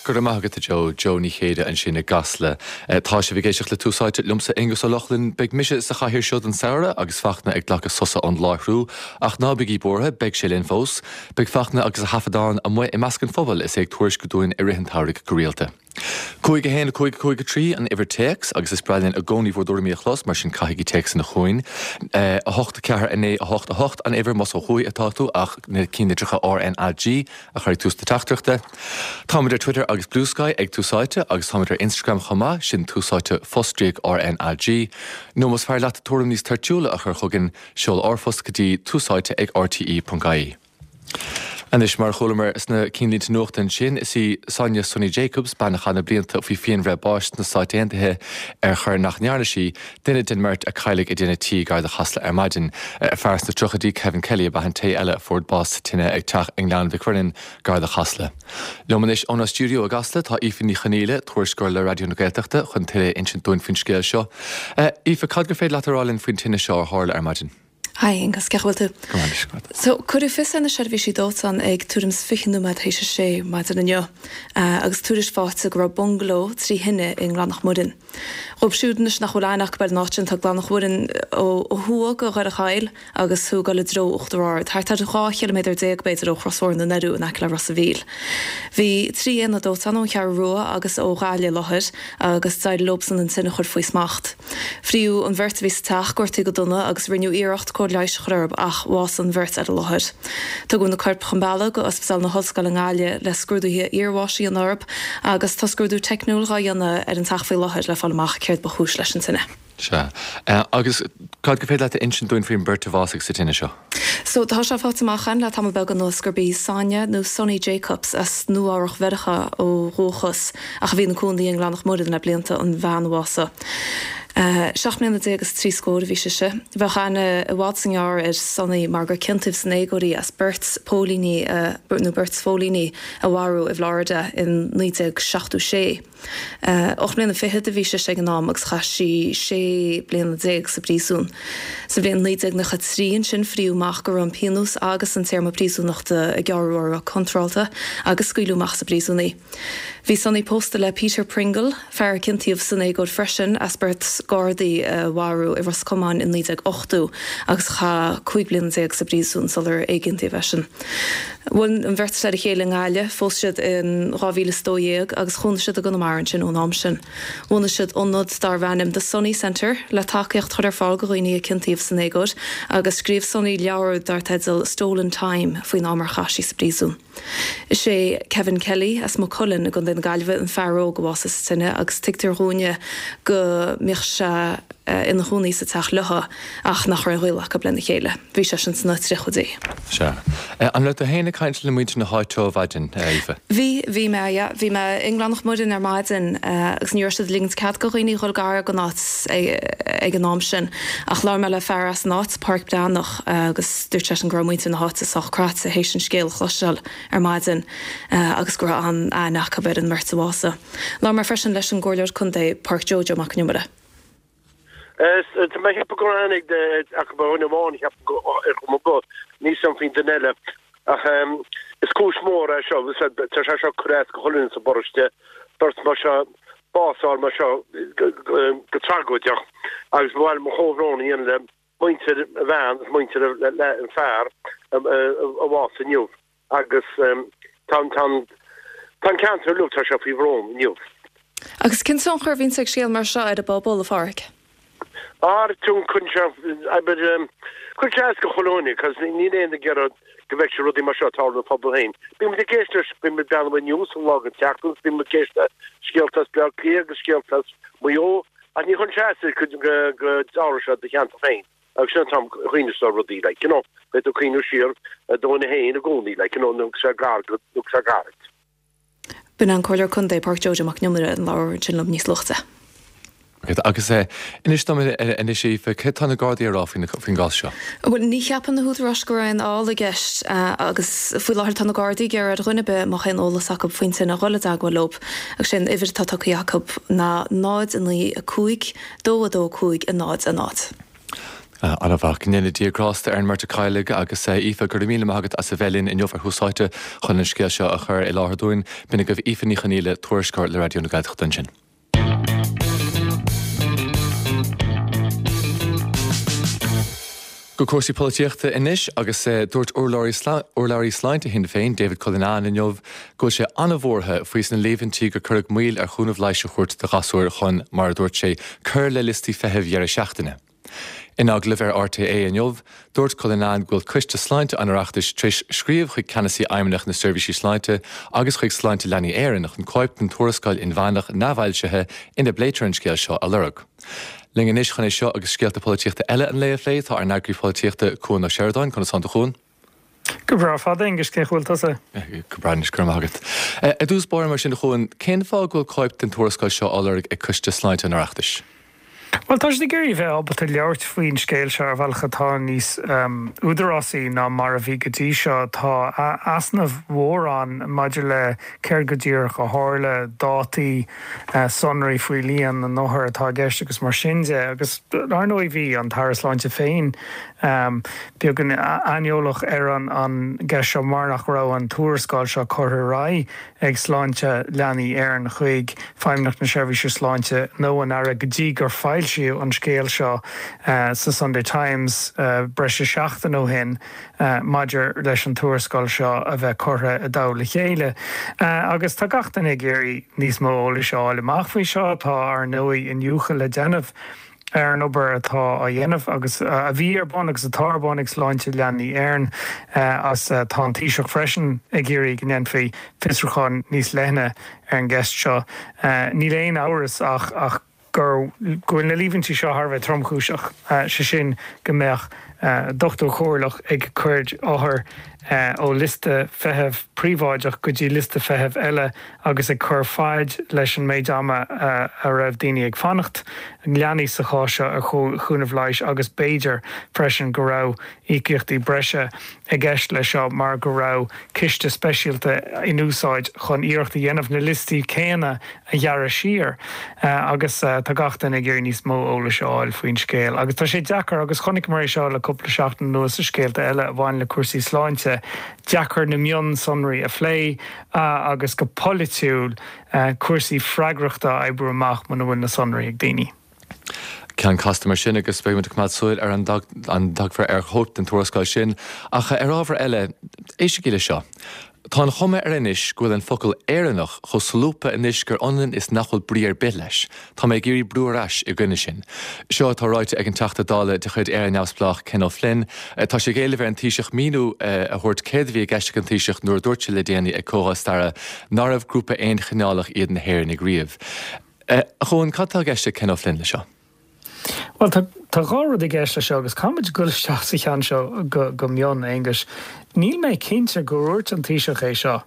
Go raibh maith agat a Joe. Joe Ní Chéide ansin i gCasla. Tá sibh ag éisteacht le Tús Áite liomsa Aonghus Ó Lochlainn. Beidh mise sa chathaoir seo don samhradh agus Fachtna ag glacadh sosa ón láithriú. Ach ná bígí buartha, beidh sé linn fós. Beidh Fachtna agus a thaifeadán amuigh i measc an phobail is é ag tuairisciú dúinn i rith an tsamhraidh go rialta. 5 1 5 5 3 an uimhir téacs agus is breá linn i gcónaí bhur dtuairimí a chlos, mar sin caithigí téacsanna chugainn. 8 4 9 8 8 an uimhir más ó thuaidh atá tú ach na cinnlitreacha RnaG a chur ag tús na teachtaireachta. Táimid ar Twitter agus Bluesky ag Tús Áite agus táimid ar Instagram chomh maith, sin Tús Áite fostríoc RnaG. Nó más fearr leat tuairim níos toirtiúla a chur chugainn, seol r-phost go dtí túsáite ag rte.ie. Anois, mar a chualamar sna cinnlínte nuachta ansin, is í Sonia Sunny Jacobs, bean a chaith na blianta faoi phianbhreith báis sna Stáit Aontaithe ar choir nach ndearna sí, duine den mbeirt a cailleadh i dtine tí gar do Chasla ar maidin. Fear sna tríochaidí, Kevin Kelly, ab ea an té eile a fuair bás sa tine ag teach i nGleann Mhic Mhuirinn gar do Chasla. Liom anois ónár stiúideo i gCasla tá Aoife Ní Chonghaile, tuairisceoir le Raidió na Gaeltachta, chun tuilleadh a insint dúinn faoin scéal seo. Aoife, cad gur féidir leat a rá linn faoin tine seo a tharla ar maidin? Hi Aonghus, cén chaoi a bhfuil tú? Go maith anois, go maith. So, cuireadh fios ar na seirbhísí dóiteáin ag tuairim is 20 nóiméad théis a sé maidin inniu agus tuairisc faighte go raibh bungaló trí thine i nGleann Mhic Mhuirinn. Dhóibh siúd anois nach bhfuil aithne acu ar an áit sin, tá Gleann Mhic Mhuirinn ó thuaidh de Dhoire Chaill agus tú ag dul i dtreo Uachtar Ard, thart ar 12 chiliméadar b'fhéidir ó Chrosbhóthar na nDoirí in aice le Ros a' Mhíl. Bhí 3 aonad dóiteáin ón Cheathrú Rua agus ó Ghaillimh i láthair agus d'éirigh leobsan an tine a chur faoi smacht. Fríodh an bheirt a bhí sa teach, gortaithe go dona agus rinneadh iarracht cóir leighis a chur orthu ach bhásaigh an bheirt ar an láthair. Tugadh na coirp chun bealaigh go Ospidéal na hOllscoile i nGaillimh le scrúduithe iarbháis a dhéanamh orthu agus tá scrúdú teicniúil dhá dhéanamh ar an teach faoi láthair le fáil amach céard ba chúis leis an tine. Sea. Agus cad gur féidir leat a insint dúinn faoin mbeirt a bhásaigh sa tine seo? So, tá sé faighte amach againn le tamall beag anuas gurb í Sonia nó Sunny Jacobs as Nua-Eabhrac Mheiriceá ó dhúchas ach a bhí ina cónaí i nGleann Mhic Mhuirinn le blianta an bhean a bhásaigh. 17 mbliana is 30 scór a bhí sise. Bheadh aithne i bhfad 's i ngearr ar Sunny mar gur ciontaíodh san éagóir í as beirt póilíní a nó beirt phóilíní a mharú i bhFlorida in 1976. 8 mbliana fichead a bhí sise ag an am agus chaith sí 16 bliana sa bpríosún. Sa bhliain 1993 ansin fríodh amach go raibh an pionós agus an téarma príosúnachta a gearradh uirthi contrálta agus scaoileadh amach as an bpríosún í. Bhí Sunny pósta le Peter Pringle, fear a ciontaíodh san éagóir freisin as beirt Gardaí a mharú i Ros Comáin in 1980 agus a chaith 15 bliana sa bpríosún sular éigiontaíodh eisean. Bhuail an bheirt le chéile i nGaillimh, phós siad in 2012 agus chónaigh siad i gConamara ansin ón am sin. Bhunaigh siad ionad darbh ainm The Sunny Centre le tacaíocht a chur ar fáil do dhaoine a ciontaíodh san éagóir agus scríobh Sunny leabhar dar teideal Stolen Time faoin am ar chaith sí sa bpríosún. Is é Kevin Kelly as Maigh Cuilinn i gContae na Gaillimhe an fear óg a bhásaigh sa tine agus tuigtear dhúinne go mbíodh sé ina chónaí sa teach leo ach nach raibh aon ghaol acu lena chéile. Bhí seisean sna tríochaidí. Sea. An raibh tú féin ag caint le muintir na háite ó mhaidin, a Aoife? Bhí, bhí mé, yeah. Bhí mé i nGleann Mhic Mhuirinn ar maidin agus ní raibh siad ag ligint cead do dhaoine dhul gar don áit ag an am sin. Ach labhair mé le fear as an áit, Pádraic Breathnach, agus dúirt seisean go raibh muintir na háite sách craite théis an scéal a chloisteáil ar maidin agus go raibh an-aithne acu ar an mbeirt a bhásaigh. Labhair mé freisin leis an gComhairleoir Contae, Pádraic Joe Joe Mac Con Iomaire. Tá mé ag ceapadh go raibh aithne acu ar dhuine amháin, ceapaim go ar chuma ar bith, níl a fhios agam faoin duine eile. Ach is cúis mhór é seo, tá sé seo ag cur as do chuile dhuine sa bparóiste, beirt mar seo, bás a fháil mar seo go tragóideach agus ba mhaith liom mo chomhbhrón a dhéanamh le muintir an bhean agus muintir an fear a bhásaigh inniu. Agus tá an, tá an, tá an ceantar uilig, tá sé faoi bhrón inniu. Agus cén tionchar a bhíonns ag scéal mar seo ar an bpobal, a Pháraic? Ar, cuireann sé, abair, cuireann sé as do chuile dhuine, cos níl éinne ag iarraidh go bhfeicfeadh rudaí mar seo ag tarlú ina phobal féin. Bíonn muid ag éisteacht leis, bíonn muid ag breathnú ar news an lá den tseachtain, bíonn muid ag éisteacht le scéalta as Bleá Cliath agus scéalta as Maigh Eo, ach ní chuireann sé as go, go dtarlódh sé i do cheantar féin. Agus sin an t-am a chuimhneos tú ar rudaí, like, you know, beidh tú ag cuimhneamh siar ar do dhuine féin i gcónaí, like, you know, nó sé gar go, nó sé gairid. B'in an Comhairleoir Contae, Pádraic Joe Joe Mac Con Iomaire, a labhair ansin liom níos luaithe. Agus inis dom anois, Aoife, céard tá na Gardaí a rá faoin gcás seo? Bhuel, ní cheapann na húdaráis go raibh aon fheall i gceist agus faoi láthair tá na Gardaí ag iarraidh ar dhuine ar bith a mbeadh aon eolas acu faoin tine a dhul i dteagmháil leo agus sé an uimhir atá tugtha acu ná 0 9 5 2 2 5 0 0. An-mhaith. Go ndéana Dia grásta ar an mbeirt a cailleadh agus Aoife, go raibh míle maith agat as a bheith linn inniu ar Thús Áite chun an scéal seo a chur i láthair dúinn. B'in agaibh Aoife Ní Chonghaile, tuairisceoir le Raidió na Gaeltachta ansin. Go cúrsaí polaitíochta anois agus dúirt urlabhraí sláinte Shinn Féin, David Cullinane inniu go bhfuil sé an-bhuartha faoi sna líomhaintí gur cuireadh moill ar chúnamh leighis a thabhairt do ghasúir chun, mar a dúirt sé, cur le liostaí feithimh dheireadh seachtaine. In agallamh ar RTÉ inniu, dúirt Cullinane go bhfuil Coiste Sláinte an Oireachtais tar éis scríobh chuig Ceannasaí Fheidhmeannacht na Seirbhísí Sláinte agus chuig Sláinte Leanaí Éireann chun cóip den tuarascáil inmheánach neamhfhoilsithe ina bpléitear an scéal seo a lorg. Linn anois chun é seo agus scéalta polaitíochta eile an lae a phlé tá ár n-eagraí polaitíochta, Cuan Ó Seireadáin. Conas tánn tú, a Chuain? Go breá fada, Aengus, cén chaoi a bhfuil tusa? Go breá anois, go raibh maith agat. Ar dtús báire mar sin, a Chuain, cén fáth go bhfuil cóip den tuarascáil seo á lorg ag Coiste Sláinte an Oireachtais? Bhuel, tá siad ag iarraidh a bheith ábalta labhairt faoin scéal seo ar bhealach atá níos údarásaí ná mar a bhí go dtí seo. Tá easnamh mhór ann maidir le céard go díreach a tharla, dátaí, sonraí faoi líon na n-othar atá i gceist agus mar sin de. Agus, ar ndóigh, bhí an tAire Sláinte féin beagán aineolach ar an gceist seo mar nach raibh an tuarascáil seo curtha ar aghaidh ag Sláinte Leanaí Éireann chuig Feidhmeannacht na Seirbhíse Sláinte nó an Aire go dtí gur foilsíodh an scéal seo sa Sunday Times breis is seachtain ó shin maidir leis an tuarascáil seo a bheith curtha i dtoll a chéile. Agus tá gach duine ag iarraidh níos mó eolais a fháil amach faoi seo. Tá, ar ndóigh, iniúchadh le déanamh ar an obair atá á dhéanamh agus a bhí ar bun agus atá ar bun ag Sláinte Leanaí Éireann agus tá an Taoiseach freisin ag iarraidh go ndéanfaí fiosrúchán níos leithne ar an gceist seo. Níl aon amhras ach gur go bhfuil na líomhaintí seo thar a bheith tromchúiseach, sé sin go mbeadh dochtúir comhairleach ag cur othair ó liosta feithimh príobháideach go dtí liosta feithimh eile agus ag cur faid leis an méid ama a raibh daoine ag fanacht, leanaí sa chás seo, ar chúnamh leighis agus b'fhéidir freisin go raibh íocaíochtaí breise i gceist leis seo mar go raibh ciste speisialta in úsáid chun iarracht a dhéanamh na liostaí céanna a ghearradh siar agus tá gach duine ag iarraidh níos mó eolais a fháil faoin scéal agus tá sé deacair agus chonaiceamar é seo le cúpla seachtain anuas i scéalta eile a bhain le cúrsaí sláinte, deacair na mionsonraí a phlé agus go polaitiúil cúrsaí freagrachta a oibriú amach muna bhfuil na sonraí ag daoine. Ceann casta mar sin agus beidh muid ag coimeád súil ar an dtagfar ar chóip den tuarascáil sin. Ach ar ábhar eile, éistigí leis seo. Tá an chuma air anois go bhfuil an focal 'Éireannach' chomh solúbtha anois gur ionann is nach bhfuil brí ar bith leis. Tá mé ag iarraidh brú ar ais i gcoinne sin. Seo atá ráite ag an Teachta Dála de chuid Éire Neamhspleách, Ken O'Flynn. Tá sé ag éileamh ar an Taoiseach míniú a thabhairt céard a bhí i gceist ag an Taoiseach nuair a dúirt sé le déanaí ag Comhdháil Staire nárbh grúpa aonchineálach iad na hÉireannaigh riamh. A Chuain, cad tá i gceist ag Ken O'Flynn leis seo? Bhuel, tá tá dhá rud i gceist leis seo agus caithfidh muid dul isteach sa cheann seo go go mion, Aonghus. Níl mé cinnte gur dhúirt an Taoiseach é seo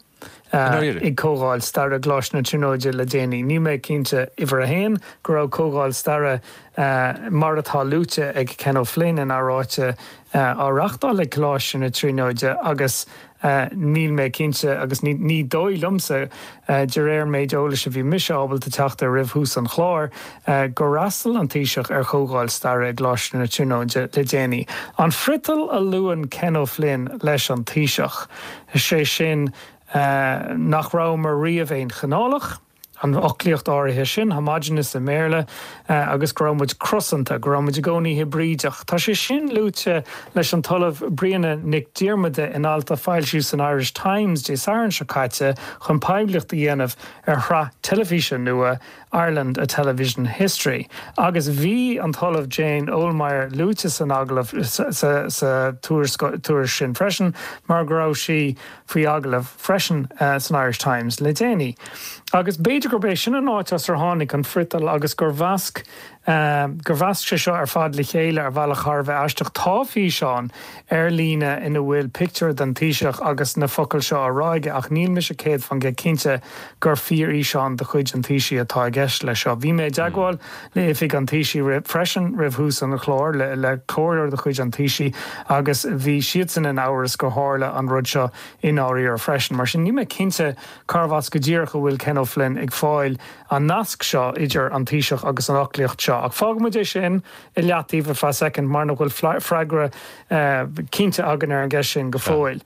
ag Comhdháil Staire i gColáiste na Tríonóide le déanaí. Níl mé cinnte, uimhir a haon, go raibh Comhdháil Staire mar atá luaite ag Ken O'Flynn ina ráite á reachtáil ag Coláiste na Tríonóide agus Níl mé cinnte, agus ní dóigh liomsa, de réir an méid eolais a bhí mise ábalta teacht air roimh thús an chláir, gur fhreastail an Taoiseach ar chomhdháil staire i gColáiste na Tríonóide le déanaí. An friotal a luann Ken O'Flynn leis an Taoiseach, sé sin nach rabhamar riamh aonchineálach, an fhoclaíocht áirithe sin, homogeneous i mBéarla, agus go raibh muid crosanta, go raibh muid i gcónaí hibrídeach. Tá sé sin luaite leis an tOllamh Bríona Nic Diarmada in alt a foilsíodh san Irish Times Dé Sathairn seo caite chun poiblíocht a dhéanamh ar shraith teilifíse nua Ireland, A Television History. Agus bhí an tOllamh Jane Ohlmeyer luaite san agallamh, sa tuairisc sin freisin mar go raibh sí faoi agallamh freisin san Irish Times le déanaí. Agus b'fhéidir gurb é sin an áit as ar tháinig an friotal agus gur mheasc gur mheasc sé seo ar fad le chéile ar bhealach thar a bheith aisteach. Tá físeán ar líne ina bhfuil pictiúr den Taoiseach agus na focail seo á rá aige ach níl mise 100% cinnte gur fíorfhíseán de chuid an Taoisigh atá i gceist leis seo. Bhí mé i dteagmháil le oifig an Taoisigh freisin roimh thús an chláir, le comhairleoir de chuid an Taoisigh agus bhí siadsan in amhras gur tharla an rud seo i ndáiríre freisin. Mar sin, níl mé cinnte cárbh as go díreach a bhfuil Ken O'Flynn ag fáil an nasc seo idir an Taoiseach agus an fhoclaíocht seo. seo. Ach fágfaidh muid é sin i leataobh ar feadh soicind mar nach bhfuil freagra cinnte againn ar an gceist sin go fóill.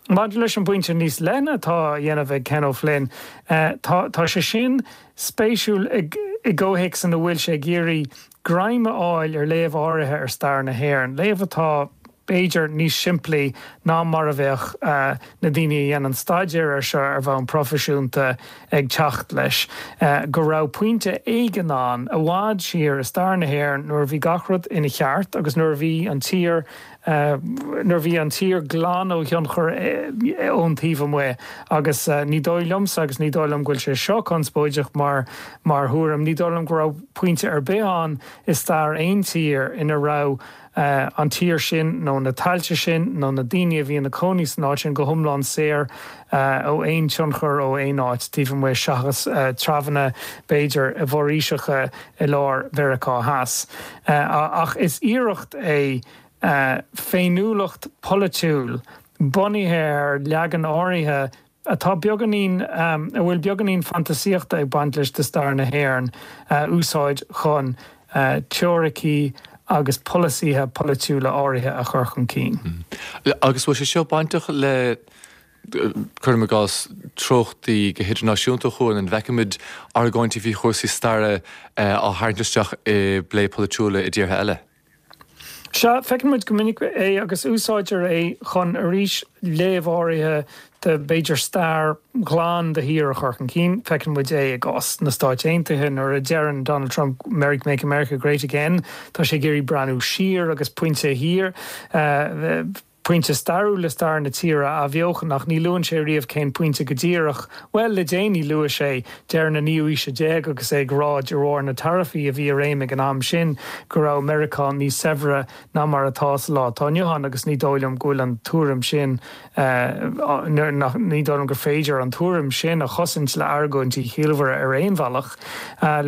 Maidir leis an bpointe níos leithne atá á dhéanamh ag Ken O'Flynn, tá tá sé sin spéisiúil i gcomhthéacs ina bhfuil sé ag iarraidh greim a fháil ar léamh áirithe ar stair na hÉireann, léamh atá, b'fhéidir, níos simplí ná mar a bheadh na daoine a dhéanann staidéar air seo ar bhonn proifisiúnta ag teacht leis, go raibh pointe éigin ann i bhfad siar i stair na hÉireann nuair a bhí gach rud ina cheart agus nuair a bhí an tír nuair a bhí an tír glan ó thionchar ón taobh amuigh. Agus ní dóigh liomsa, agus ní dóigh liom go bhfuil sé seo conspóideach mar mar thuairim, ní dóigh liom go raibh pointe ar bith ann i stair aon tír ina raibh an tír sin nó na tailte sin nó na daoine a bhí ina cónaí san áit sin go hiomlán saor ó aon tionchar ó aon áit taobh amuigh seachas treabhanna b'fhéidir i bhforaoiseacha i lár Mheiriceá Theas. Ach is iarracht é féiniúlacht pholaitiúil bunaithe ar leagan áirithe atá beagáinín, a bhfuil beagáinín fantasaíochta ag baint leis de stair na hÉireann a úsáid chun teoiricí agus polasaithe polaitiúla áirithe a chur chun cinn. Agus bhfuil sé seo bainteach le, cuirim i gcás, treochtaí go hidirnáisiúnta chugainn, an bhfeicimid argóintí faoi chúrsaí staire á tharraingt isteach i bplé polaitiúla i dtíortha eile? Sea, feiceann muid go minic é agus úsáidtear é chun, arís, léamh áirithe de, b'fhéidir, stair ghlan do thír a chur chun cinn. Feiceann muid é i gcás na Stáit Aontaithe nuair a deireann Donald Trump Make America Great Again, tá sé ag iarraidh breathnú siar agus pointe thiar, pointe stairiúil i stair na tíre a athbheochan ach ní luann sé riamh cén pointe go díreach. Bhuel, le déanaí luaigh sé deireadh na naoú haoise déag agus é ag rá de bharr na taraifí a bhí i réim ag an am sin go raibh Meiriceá níos saibhre ná mar atá sa lá atá inniu ann agus ní dóigh liom go bhfuil an tuairim sin ní dóigh liom gur féidir an tuairim sin a chosaint le argóintí ciallmhara ar aon bhealach.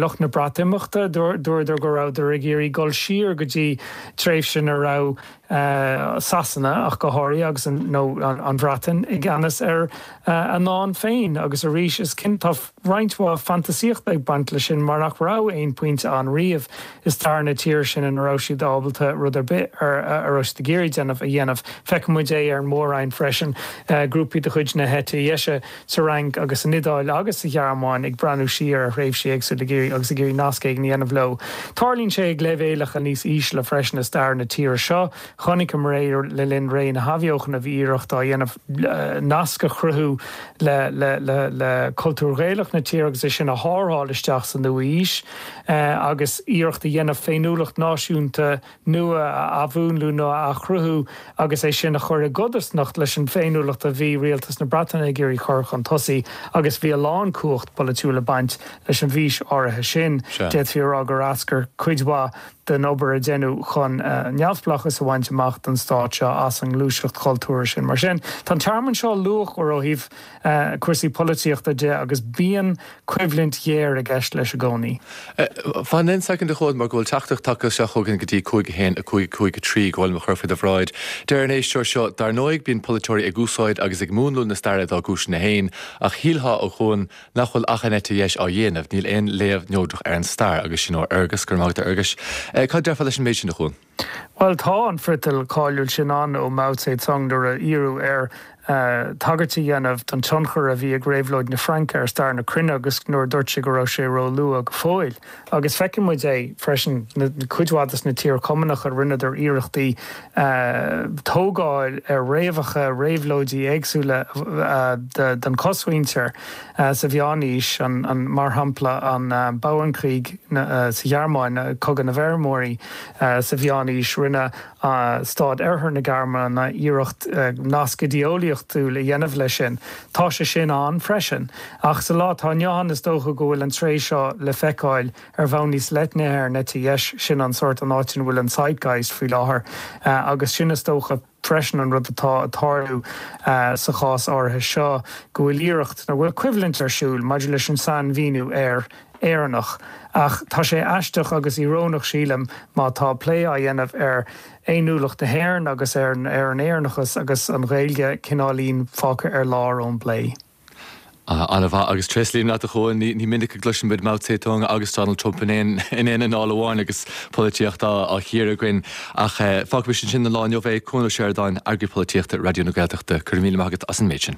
Lucht na Breatimeachta, dúradar go rabhadar ag iarraidh dul siar go dtí tréimhse ina raibh Sasana ach go háirithe, agus an, nó an Bhreatain, i gceannas ar a ndán féin. Agus arís, is cinnte, tá roinnt mhaith fantasaíochta ag baint leis sin mar nach raibh aon phointe ann riamh i stair na tíre sin ina raibh siad ábalta rud ar bith a raibh siad ag iarraidh déanamh a dhéanamh. Feiceann muid é ar an Mór-Roinn freisin, grúpaí de chuid na heite dheise sa Fhrainc agus san Iodáil agus sa Ghearmáin ag breathnú siar ar thréimhsí éagsúla ag iarraidh agus ag iarraidh nasc éigin a dhéanamh leo. Tarlaíonn sé ag leibhéalacha níos ísle freisin i stair na tíre seo. Chonaiceamar é le linn ré na hAthbheochana, bhí iarracht á dhéanamh nasc a chruthú le le cultúr Ghaelach na tíre agus é sin a tharrtháil isteach sa nua-aois agus iarracht a dhéanamh féiniúlacht náisiúnta nua a athmhúnlú nó a athchruthú agus é sin a chur i gcodarsnacht leis an bhféiniúlacht a bhí rialtas na Breataine ag iarraidh chur chun tosaigh agus bhí a lán cumhacht polaitiúil ag baint leis an bhfís áirithe sin. D'fhéadfaí a rá gur eascair cuid mhaith den obair a deineadh chun neamhspleáchas a bhaint amach don stát seo as an ngluaiseacht chultúrtha sin. Mar sin, tá an tearmann seo luachmhar ó thaobh cúrsaí polaitíochta de agus bíonn coimhlint ghéar i gceist leis i gcónaí. Fan aon soicind a Chuain mar go bhfuil teachtaireacht tagtha isteach chugainn go dtí 5 1 5 5 3 go bhfuil mé a chur faoi do bhráid. Deir an éisteoir seo, Dar ndóigh bíonn polaiteoirí ag úsáid agus ag múnlú na staire dá gcúiseanna féin, ach shílfeá, a Chuain, nach bhfuil ach an eite dheis á dhéanamh, níl aon léamh neodrach ar an stair. Agus sin ó Fhergus. Go raibh maith agat a Fherguis. Cad déarfá leis an méid sin, a Chuain? Bhuel, tá an friotal cáiliúil sin ann ó Mao Tse-tung nuair a iarradh air tagairt a dhéanamh don tionchar a bhí ag Réabhlóid na Fraince ar stair na cruinne agus nuair a dúirt sé go raibh sé ró-luath go fóill. Agus feiceann muid é freisin, cuid mhaith de na tíortha Cumannacha, rinneadar iarrachtaí tógáil ar fhréamhacha réabhlóidí éagsúla den chosmhuintir. Sa Mheánaois, mar shampla, an Bauernkrieg sa Ghearmáin, Cogadh na bhFeirmeoirí sa Mheánaois, rinne stáit Oirthear na Gearmáine iarracht nasc idé-eolaíochtúil a dhéanamh leis sin. Tá sé sin ann freisin. Ach sa lá atá inniu ann, is dócha go bhfuil an tréith seo le feiceáil ar bhonn níos leithne ar an eite dheis, sin an sórt an áit ina bhfuil an zeitgeist faoi láthair agus sin, is dócha, freisin an rud atá ag tarlú sa chás áirithe seo, go bhfuil iarracht, nó go bhfuil coimhlint ar siúl maidir leis an sainmhíniú ar Éireannach. Ach tá sé aisteach agus íorónach, sílim, má tá plé á dhéanamh ar fhéiniúlacht na hÉireann agus ar an Éireannachas agus an Ghaeilge cineáilín fágtha ar lár ón bplé. An-mhaith agus tréaslaím leat a Chuain, ní minic a gcloiseann muid Mao Tse Tung agus Donald Trump in aon in aon anáil amháin agus polaitíocht á á chíoradh againn. Ach fágfaimis ansin don lá inniu é. Cuan Ó Seireadáin, Eagraí Polaitíochta Raidió na Gaeltachta, go raibh míle maith agat as an méid sin.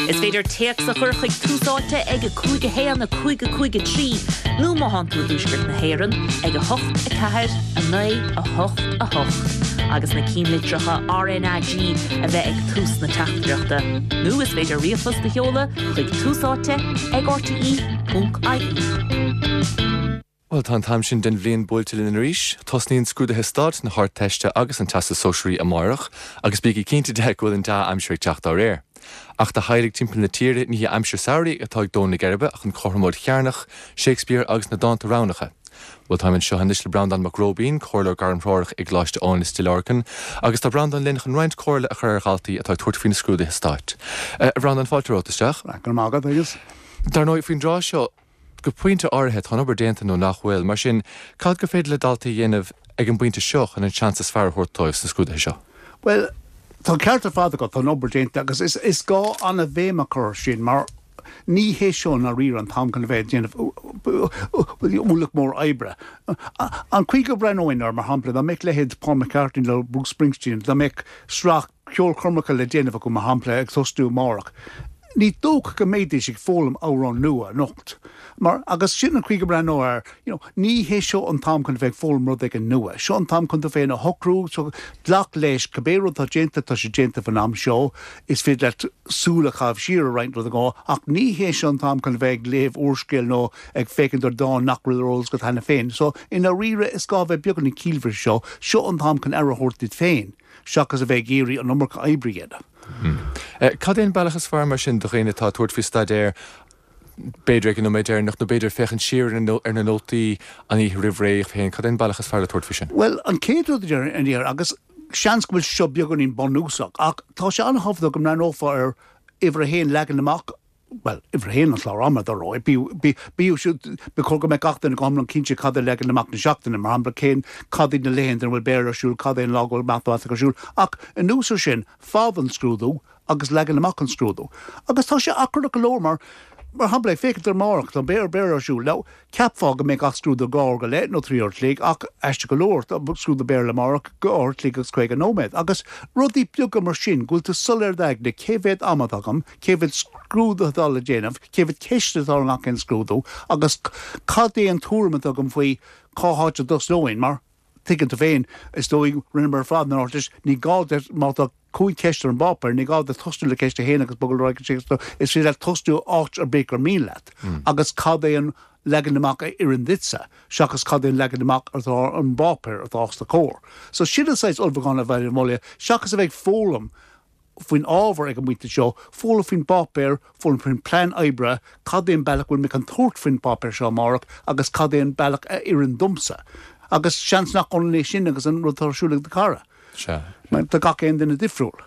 Is féidir téacs a chur chuig Tús Áite ag 5 1 5 5 3 nó má thánn tú i dTuaisceart na hÉireann ag 8 4 9 8 8 agus na cinnlitreacha RnaG a bheith ag tús na teachtaireachta. Nó is féidir ríomhphost a sheoladh chuig Tús Áite ag rte.ie. Bhuel, tá an t-am sin den bhliain buailte linn arís. Tosnaíonn scrúduithe stáit na hArdteiste agus an Teastas Sóisearaí amárach, agus bígí cinnte de go bhfuil an dea-aimsir ag teacht dá réir. Ach do theaghlaigh timpeall na tíre, ní hí aimsir samhraidh atá ag dó na geirbe ach an chothromóid chearnach, Shakespeare agus na dánta roghnacha. Bhuel, táim anseo anois le Breandán Mac Róibín, Comhairleoir Gairmthreorach i gColáiste Eoin i Stigh Lorgan, agus tá Breandán linn chun roinnt comhairle a chur ar dhaltaí atá ag tabhairt faoi na scrúduithe stáit. A Bhreandáin, fáilte romhat isteach. Go raibh maith agat, Aengus. Dar ndóigh, faoin dtráth seo, Go pointe áirithe, tá an obair déanta nó nach bhfuil. Mar sin, cad gur féidir le daltaí a dhéanamh ag an bpointe seo chun an seans is fearr a thabhairt dóibh sna scrúduithe seo? Bhuel, tá an ceart ar fad agat, tá an obair déanta agus is gá an-bhéim a chur air sin mar ní hé seo i ndáiríre an t-am chun a bheith ag déanamh ualach mór oibre. An chaoi go mbreathnóinn air, mar shampla, dá mbeadh leithéid Paul McCartney nó Bruce Springsteen, dá mbeadh sraith ceolchoirmeacha le déanamh acu, mar shampla, ag tosnú amárach. Ní dócha go mbeidís ag foghlaim amhrán nua anocht. Mar, agus sin an chaoi go mbreathnóinn air, you know, ní hé seo an t-am chun a bheith ag foghlaim rud éigin nua. Seo an t-am chun tú féin a shocrú, so glac leis, cibé rud atá déanta, tá sé déanta faoin am seo, is féidir leat súil a chaitheamh siar ar roinnt rudaí, ach ní hé seo an t-am chun a bheith ag léamh úrscéil nó ag féachaint ar dhán nach bhfuil ar eolas agat cheana féin. So, i ndáiríre, is gá a bheith beagáinín ciallmhar seo. Seo an t-am chun aire a thabhairt duit féin. seachas a bheith ag iarraidh an iomarca oibre a dhéanamh. Cad é an bealach is fearr mar sin do dhaoine atá ag tabhairt faoi staidéar, b'fhéidir ag an nóiméad deireanach nó b'fhéidir féachaint siar ar na nótaí an oíche roimh ré féin, cad é an bealach is fearr le tabhairt faoi sin? Bhuel, an chéad rud a déarfainn, agus seans go bhfuil seo beagáinín bunúsach, ach tá sé an-thábhachtach go mbreathnófá ar uimhir a haon leagan amach bhuel, uimhir a haon an clár ama, dar ndóigh. Bíodh siúd, ba chóir go mbeadh gach duine go hiomlán cinnte cad é leagan amach na seachtaine, mar shampla, cén, cad iad na laethanta ina bhfuil Béarla ar siúl, cad é an lá go bhfuil Matamaitic ar siúl. Ach anuas ar sin, fad an scrúdú agus leagan amach an scrúdú. Agus tá sé achrannach go leor mar, mar shampla, ag féachaint ar amárach, tá Béarla ar siúl. Now, Cheapfá go mbeadh gach scrúdú dhá uair go leith nó 3 uair a chloig ach, aisteach go leor, tá scrúdú Béarla amárach dhá uair a chloig agus 50 nóiméad. Agus rudaí beaga mar sin, go bhfuil tú soiléir i d'aigne, cé mhéad ama atá agam, cé mhéad scrúdú atá le déanamh, cé mhéad ceist atá i ngach aon scrúdú agus cad é an tuairim atá agam faoi cá háit a dtosnóinn mar, Tuigeann tú féin, is dóigh, rinneamar ar fad an Ardteist, ní gá duit, má tá 5 cheist ar an bpáipéar, ní gá duit tosnú le ceist 1 agus bogadh ar aghaidh go ceist 2, is féidir leat tosnú áit ar bith gur mian leat. Agus cad é an leagan amach a oireann duitse, seachas cad é an leagan amach atá ar an bpáipéar atá os do chomhair. So sin an saghas ullmhúcháin a bheinn ag moladh, seachas a bheith ag foghlaim faoin ábhar ag an bpointe seo, foghlaim faoin bpáipéar, foghlaim faoin bplean oibre, cad é an bealach a bhfuil mé chun tabhairt faoin bpáipéar seo amárach agus cad é an bealach a oireann domsa. Agus seans nach ionann é sin agus an rud atá ar siúl ag do chara. Sea. Mar tá gach aon duine difriúil.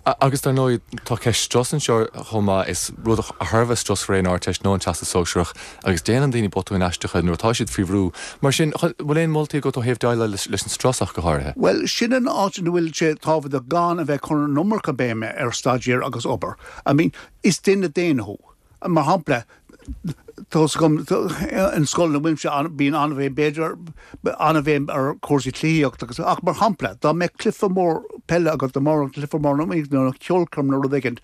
Agus dar ndóigh, tá ceist strus anseo chomh maith. Is rud thar a bheith strusmhar é an Ardteist nó an Teastas Sóisearach agus déanann daoine botúin aisteacha nuair atá siad faoi bhrú. Mar sin, bhfuil aon moltaí agat ó thaobh déileáil leis an strus ach go háirithe? Bhuel, sin an áit ina bhfuil sé tábhachtach gan a bheith ag cur an iomarca béime ar staidéar agus obair. I mean, is duine daonna thú. Mar shampla, tá's agam, an scoil ina bhfuilimse, bíonn an-bhéim, b'fhéidir, an-bhéim ar chúrsaí cluichíochta agus, ach mar shampla, dá mbeadh cluiche mór peile agat amárach, cluiche mór nó ceolchoirm nó rud éigin,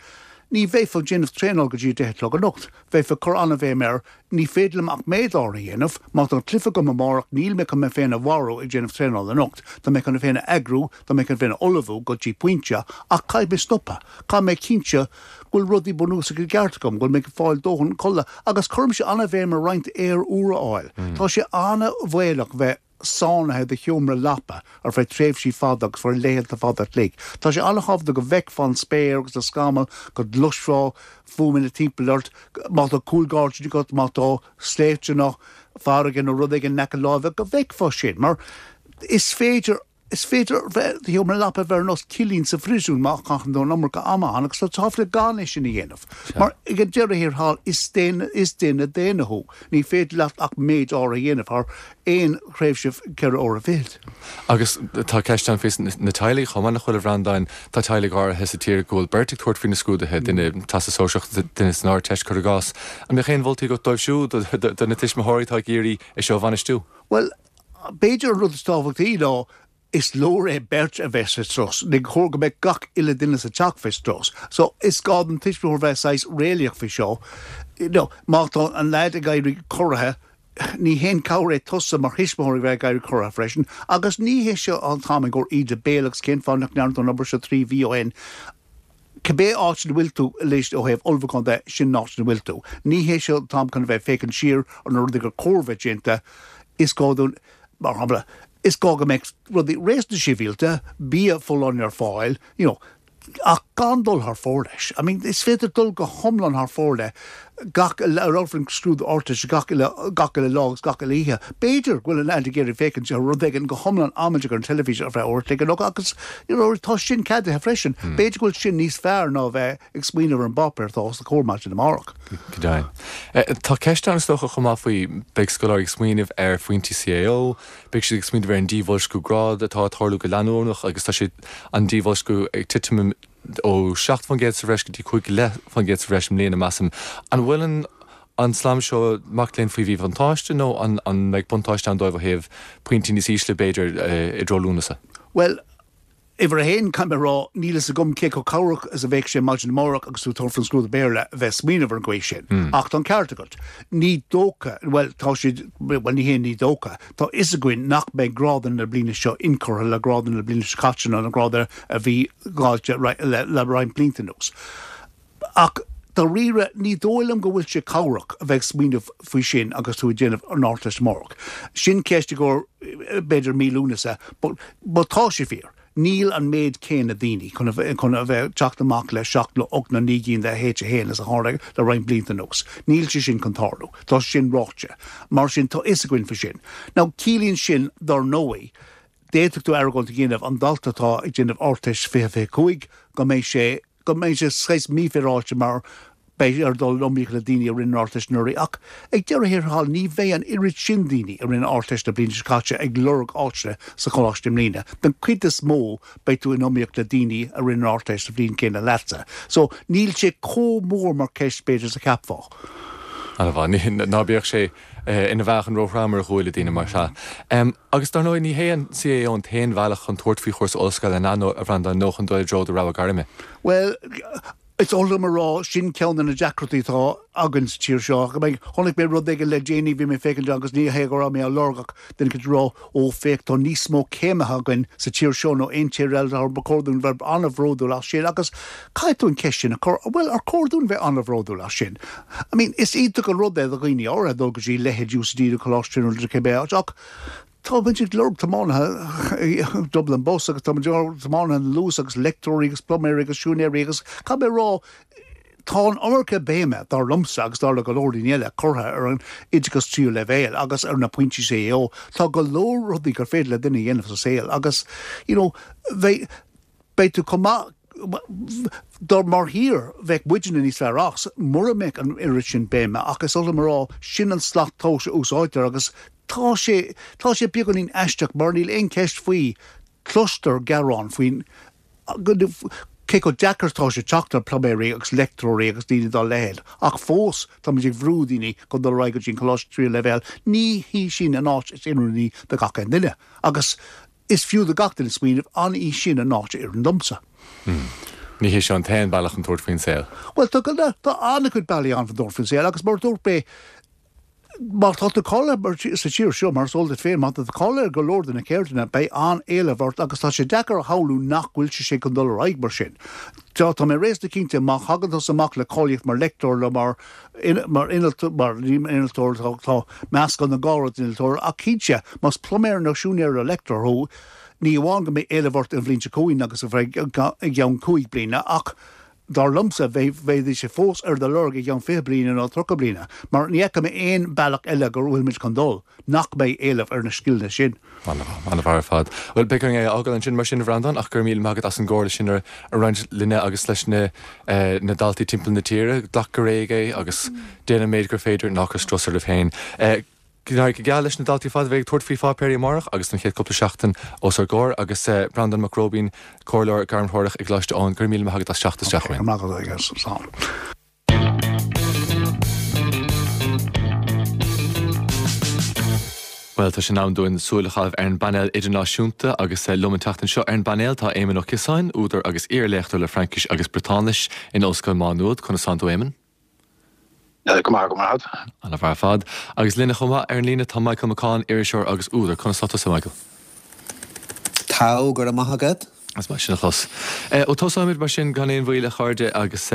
ní bheifeá ag déanamh traenáil go dtí a deich a chlog anocht. Bheifeá ag cur an-bhéim air, ní féidir liom ach méid áirithe a dhéanamh, má tá cluiche agam amárach, níl mé chun mé féin a mharú ag déanamh traenála anocht, tá mé chun mé féin a eagrú, tá mé chun mé féin a ullmhú go dtí pointe, ach caithfidh mé stopadh, caithfidh mé cinntiú go bhfuil rudaí bunúsacha i gceart agam, go bhfuil mé ag fáil dóthain codladh, agus cuirimse an-bhéim ar roinnt aer úr a fháil. Tá sé an-bhaolach bheith. sáinnithe i do sheomra leapa ar feadh tréimhsí fada agus feadh laethanta fada a chloig. Tá sé an-thábhachtach go bhfeicfeá an spéir agus na scamaill, go gcloisfeá fuaimeanna timpeall ort, má tá cúlghairdín agat, má tá sléibhte nó farraige nó rud éigin in aice láimhe, go bhfeicfeá sin, mar is féidir. Is féidir bheith i do sheomra leapa a bheith ar nós cillín sa phríosún má chaitheann tú an iomarca ama ann agus tá tábhacht le gan é sin a dhéanamh. Mar ag an deireadh thiar thall is duine is duine daonna thú. Ní féidir leat ach méid áirithe a dhéanamh thar aon thréimhse 4 uaire fichead. Agus tá ceist ann faoi na teaghlaigh chomh maith, nach bhfuil, a Bhreandáin? Tá teaghlaigh áirithe sa tír go bhfuil beirt ag tabhairt faoi na scrúduithe, duine Teastas Sóisearach, duine san Ardteist, cuir i gcás. An mbeadh aon mholtaí agat dóibh siúd, do na tuismitheoirí atá ag iarraidh é seo a bhainistiú? Bhuel, B'fhéidir an rud is tábhachtaí ná is leor é beirt a bheith sa strus. Ní chóir go mbeadh gach uile duine sa teach faoi strus. So is gá don tuismitheoir bheith saghas réalaíoch faoi seo. You know, má tá an leaid ag éirí corraithe, ní haon cabhair é tusa mar thuismitheoir a bheith ag éirí corraithe freisin. Agus ní hé seo an t-am i gcomhair íde béil agus cén fáth nach ndearna tú an obair seo 3 mhí ó shin. Cibé áit ina bhfuil tú anois ó thaobh ullmhúcháin de, sin an áit ina bhfuil tú. Ní hé seo an t-am chun a bheith ag féachaint siar ar na rudaí gur chóir bheith déanta. Is gá dúinn, mar shampla, is gá go mbeadh rudaí réasúnta sibhialta, bia folláin ar fáil, you know, ach gan dul thar fóir leis. I mean, is féidir dul go hiomlán thar fóir le gach, ar an scrúdú Ardteiste gach uile, gach uile lá agus gach uile oíche. B'fhéidir go bhfuil an leaid ag iarraidh féachaint ar rud éigin go hiomlán amaideach ar an teilifís ar feadh uair a chloig nó agus you know tá sin ceadaithe freisin. B'fhéidir go bhfuil sin níos fearr ná a bheith ag smaoineamh ar an bpáipéar atá os do chomhair maidin amárach. Go deimhin. Tá ceist ann is dócha chomh maith faoi, beidh scoláirí ag smaoineamh ar phointí CAO, beidh siad ag smaoineamh ar an díbhoilsciú grád atá ag tarlú go leanúnach agus tá sé, an díbhoilsciú ag titim ó 7% sa bhreis go dtí 5.5% sa bhreis i mbliana, measaim. An bhfuil an an slám seo mac léinn faoi mhíbhuntáiste nó an an mbeidh buntáiste ann dóibh ó thaobh pointí níos ísle, b'fhéidir, i dtreo Lúnasa? Bhuel, uimhir a haon, caithfidh mé a rá, níl fhios agam cé chomh cabhrach is a bheadh sé maidin amárach agus tú ag tabhairt faoin scrúdú Béarla a bheith ag smaoineamh ar an gcaoi sin. Ach tá an ceart agat. Ní dócha, bhuel, tá siad, bhuel, ní hé ní dócha, Tá fhios againn nach mbeidh grádanna na bliana seo inchurtha le grádanna na bliana seo caite nó na grádanna a bhí dáilte le roinnt blianta anuas. Ach dáiríre, ní dóigh liom go bhfuil sé cabhrach a bheith ag smaoineamh faoi sin agus tú ag déanamh an Ardteist amárach. Sin ceist i gcomhair b'fhéidir mí Lúnasa, but tá sé fíor. Níl an méid céanna daoine chun a bheith ag teacht amach le seacht nó ocht nó naoi gcinn de H1 is a tharla le roinnt blianta anuas. Níl sé sin chun tarlú. Tá sé sin ráite. Mar sin, tá fhios againn faoi sin. Now, ciallaíonn sin, dar ndóigh, d'fhéadfadh tú argóint a dhéanamh, an dalta atá ag déanamh Ardteist 2025, go mbeidh sé, go mbeidh sé saghas mífhéaráilte mar beidh air dul in iomaíocht le daoine a rinne an Ardteist anuraidh ach ag deireadh thiar thall ní bheidh an oiread sin daoine a rinne an Ardteist na bliana seo caite ag lorg áiteanna sa choláiste i mbliana. Den chuid is mó beidh tú in iomaíocht le daoine a rinne an Ardteist sa bhliain chéanna leatsa. So níl sé chomh mór mar cheist b'fhéidir is a cheapfá. An-mhaith. Ná bíodh sé ina mheáchan róthrom ar ghuaillí daoine mar sea. Agus dar ndóigh ní hé an CAO an t-aon bhealach chun tabhairt faoi chúrsa ollscoile, an ea, a Bhreandáin, nó chun dul i dtreo do rogha gairme? Bhuel, is oth liom a rá, sin ceann de na deacrachtaí atá againn sa tír seo. Chonaic mé rud éigin le déanaí, bhí mé ag féachaint agus ní hé go raibh mé á lorg ach duine éicint ag rá, ó féach tá níos mó céimithe againn sa tír seo ná aon tír eile, tá ba chóir dúinn bheith an-bhródúil as sin agus caithfidh tú an cheist sin a chur, bhuel ar chóir dúinn bheith an-bhródúil as sin? I mean, is iontach an rud é do dhaoine áirithe dul go dtí leithéid UCD nó Coláiste Tríonóide nó cibé áit ach Tá muid ag lorg tiománaithe Dublin Bus agus tá muid ag lorg tiománaithe na Luas agus leictreoirí agus pluiméirí agus siúinéirí agus caithfidh mé a rá, tá an iomarca béime, dar liomsa agus dar le go leor daoine eile, curtha ar an oideachas tríú leibhéal agus ar na pointí CAO. Tá go leor rudaí gur féidir le duine a dhéanamh sa saol agus you know bheidh, beidh tú chomh maith dár mar thír, bheadh muidne níos fearr as mura mbeadh an oiread sin béime ach is oth liom a rá, sin an slat tomhais a úsáidtear agus tá sé, tá sé beagáinín aisteach mar níl aon cheist faoi, cloistear gearáin faoin cé chomh deacair atá sé teacht ar pluiméirí agus leictreoirí agus daoine dá leithéid ach fós tá muid ag brú daoine chun dul ar aghaidh go dtí an coláiste tríú leibhéal, ní hí sin an áit is oiriúnaí do gach aon duine agus Is fiú do gach duine smaoineamh, an í sin an áit a oireann domsa? Ní hé seo an t-aon bealach chun tabhairt faoin saol. Bhuel, tá, tá an-chuid bealaí ann chun tabhairt faoin saol agus mar a dúirt mé, má tá tú cáilithe sa tír seo, mar is eol duit féin, má tá tú cáilithe ar go leor de na ceirdeanna, beidh an-éileamh ort agus tá sé deacair a shamhlú nach bhfuil sé sin chun dul ar aghaidh mar sin. Tá, tá mé réasúnta cinnte má thagann tusa amach le cáilíocht mar leictreoir nó mar mar innealtóir, ní innealtóir, tá meascán den dhá rud innealtóir, ach cinnte, más pluiméir nó siúinéir nó leictreoir thú, ní amháin go mbeidh éileamh ort an bhliain seo chugainn agus i gceann 5 bliana, ach dar liomsa, bheidh sé fós ar do lorg i gceann 20 bliana nó 30 bliana, mar ní fheicim aon bealach eile go bhfuilimid chun dul nach mbeidh éileamh ar na scileanna sin. An-mhaith ar fad. Bhuel, beidh orainn é a fhágáil ansin mar sin, a Bhreandáin, ach go raibh míle maith agat as an gcomhairle sin a roinnt linne agus leis na daltaí timpeall na tíre. Glac go réidh é agus déan an méid gur féidir, ná cuir strus oraibh féin. Go n-éirí go geal leis na daltaí ar fad a bheidh ag tabhairt faoi pháipéirí amárach agus don chéad cúpla seachtain os ár gcomhair agus Breandán Mac Róibín, Comhairleoir Gairmthreorach i gColáiste Eoin, go raibh míle maith agat as teacht isteach chugainn. Go raibh maith agat, slán. Bhuel, tá sé in am dúinn súil a chaitheamh ar an bpainéal idirnáisiúnta agus liom an tseachtain seo ar an bpainéal tá Éamon Ó Ciosáin, údar agus iar-léachtóir le Fraincis agus Briotáinis in Ollscoil Mhá Nuad. Conas tánn tú, Éamon? Go maith, go maith. An-mhaith ar fad. Agus linne chomh maith ar an líne tá Michael McCaughan, iriseoir agus údar. Conas tá tusa, Michael? Tá, go raibh maith agat. Is maith sin a chlos. Ó tosóimid mar sin gan aon mhoill, a chairde, agus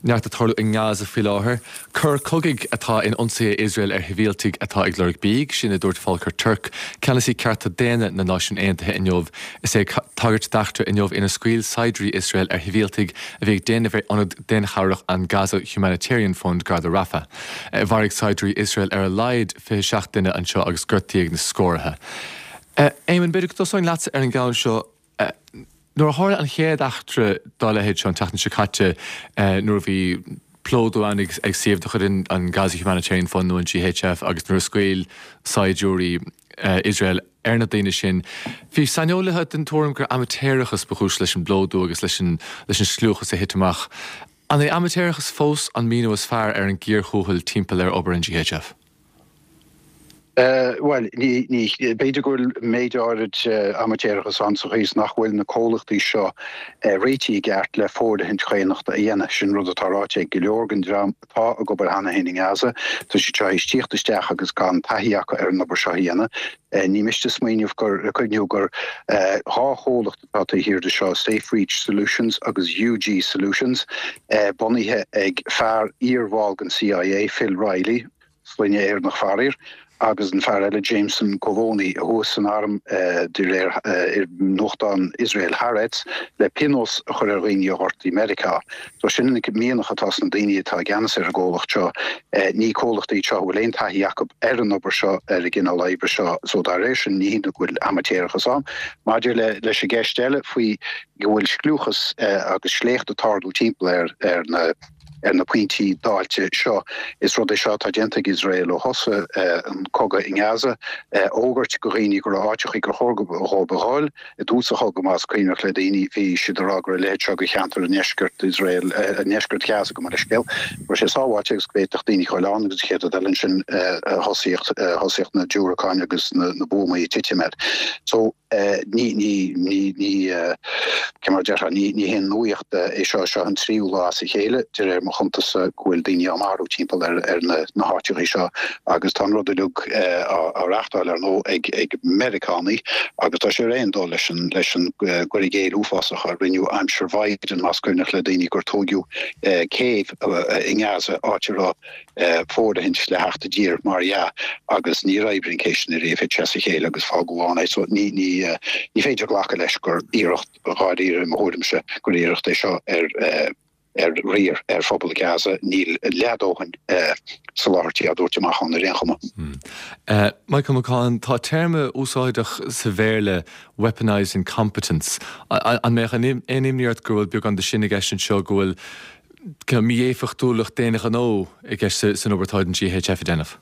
neart ag tarlú i nGaza faoi láthair. Coir cogaidh atá in ionsaithe Iosrael ar shibhialtaigh atá ag lorg bídh, sin a dúirt Volker Turk, ceannasaí cearta daonna na Náisiún Aontaithe inniu. Is é ag tagairt d'eachtra inniu inar scaoil saighdiúirí Iosrael ar shibhialtaigh a bhí ag déanamh ar ionad daonchabhrach an Gaza Humanitarian Fund gar do Rafah. Mharaigh saighdiúirí Iosrael ar a laghad 27 duine anseo agus gortaíodh na scórtha. Éamonn, b'fhéidir go dtosóinn leatsa ar an gceann seo. Nuair a tharla an chéad eachtra dá leithéid seo an tseachtain seo caite, nuair a bhí plódú ann ag suíomh de chuid an Gaza Humanitarian Fund nó an GHF agus nuair a scaoil saighdiúirí Iosrael ar na daoine sin, bhí saineolaithe den tuairim gur amaitéarachas ba chúis leis an bplódú agus leis an scliúchas a thit amach. An é amaitéarachas fós an míniú is fearr ar an gcíor thuathail timpeall ar obair an GHF? Bhuel, ní, ní, b'fhéidir go bhfuil méid áirid amaitéarachas ann sa chaoi is nach bhfuil na comhlachtaí seo réitithe i gceart le fóirithint dhaonnachta a dhéanamh. Sin rud atá ráite ag go leor den dream atá ag obair cheana féin i nGaza. Tá siad seo théis tíocht isteach agus gan taithí acu ar an obair seo a dhéanamh. Ní miste smaoineamh gur, cuimhniú gur 2 chomhlacht atá taobh thiar de seo, SafeReach Solutions agus UG Solutions, bunaithe ag fear iar-bhall den CIA, Phil Reilly, sloinne Éireannach faraor, agus an fear eile, Jameson Govoni, a chuaigh san arm de réir nuachtán Iosrael Haaretz, le pionós a chur ar dhaoine a ghortaigh Meiriceá. So sin an mianach atá sna daoine atá i gceannas ar an gcomhlacht seo. Ní comhlacht iad seo a bhfuil aon taithí acu ar an obair seo, ar an gcineál oibre seo. So dá réir sin, ní hionadh go bhfuil amaitéarachas ann. Maidir leis an gceist eile faoi go bhfuil scliúchas agus sléacht ag tarlú timpeall ar na ar na pointí dáilte seo. Is rud é seo atá déanta ag Iosrael ó thosaigh an cogadh i nGaza, fhógairt do dhaoine go raibh áiteachaí gur chóir dhóibh a dhul. I dtús an chogaidh, más cuimhneach le daoine, bhí siad ag rá go raibh a leithéid seo de cheantar i ndeisceart Iosrael, i ndeisceart Ghaza gabh mo leithscéal, go raibh sé sábháilte agus go bhféadfadh daoine a ghoil ann agus an chéad rud eile ansin thosaíodh na diúracáin agus na buamaí ag titim air. So. Ní, ní, ní, ní, cé mar a déarfá, ní, ní haon nuaíocht é seo. Seo an tríú lá as a chéile, de réir mo chuntas-sa, go bhfuil daoine á marú timpeall ar, ar na, na háiteachaí seo agus tá an rud uilig á, á reachtáil, ar ndóigh, ag, ag Meiriceánaigh agus tá sé ar aon dul leis an, leis an gcur i gcéill uafásach a rinneadh aimsir Biden, más cuimhneach le daoine gur tóigeadh céibh i nGaza, áit a raibh fóirithint le theacht i dtír, mar dhea, agus níor oibrigh an cé sin ariamh, thit sé as a chéile agus fágadh ann é. So ní, ní, ní féidir glacadh leis gur iarracht dháiríre, i mo thuairimse, gur iarracht é seo ar, ar riar ar phobal Gaza. Níl leathdhóthain soláthairtí á dtabhairt amach ann ar aon chuma. Michael McCaughan, tá téarma úsáideach sa Bhéarla, weaponised incompetence. An mbeadh aon imní ort go bhfuil beagán de sin i gceist anseo, go bhfuil cineál mí-éifeachtúlacht d'aon ghnó i gceist san obair atá an GHF a déanamh?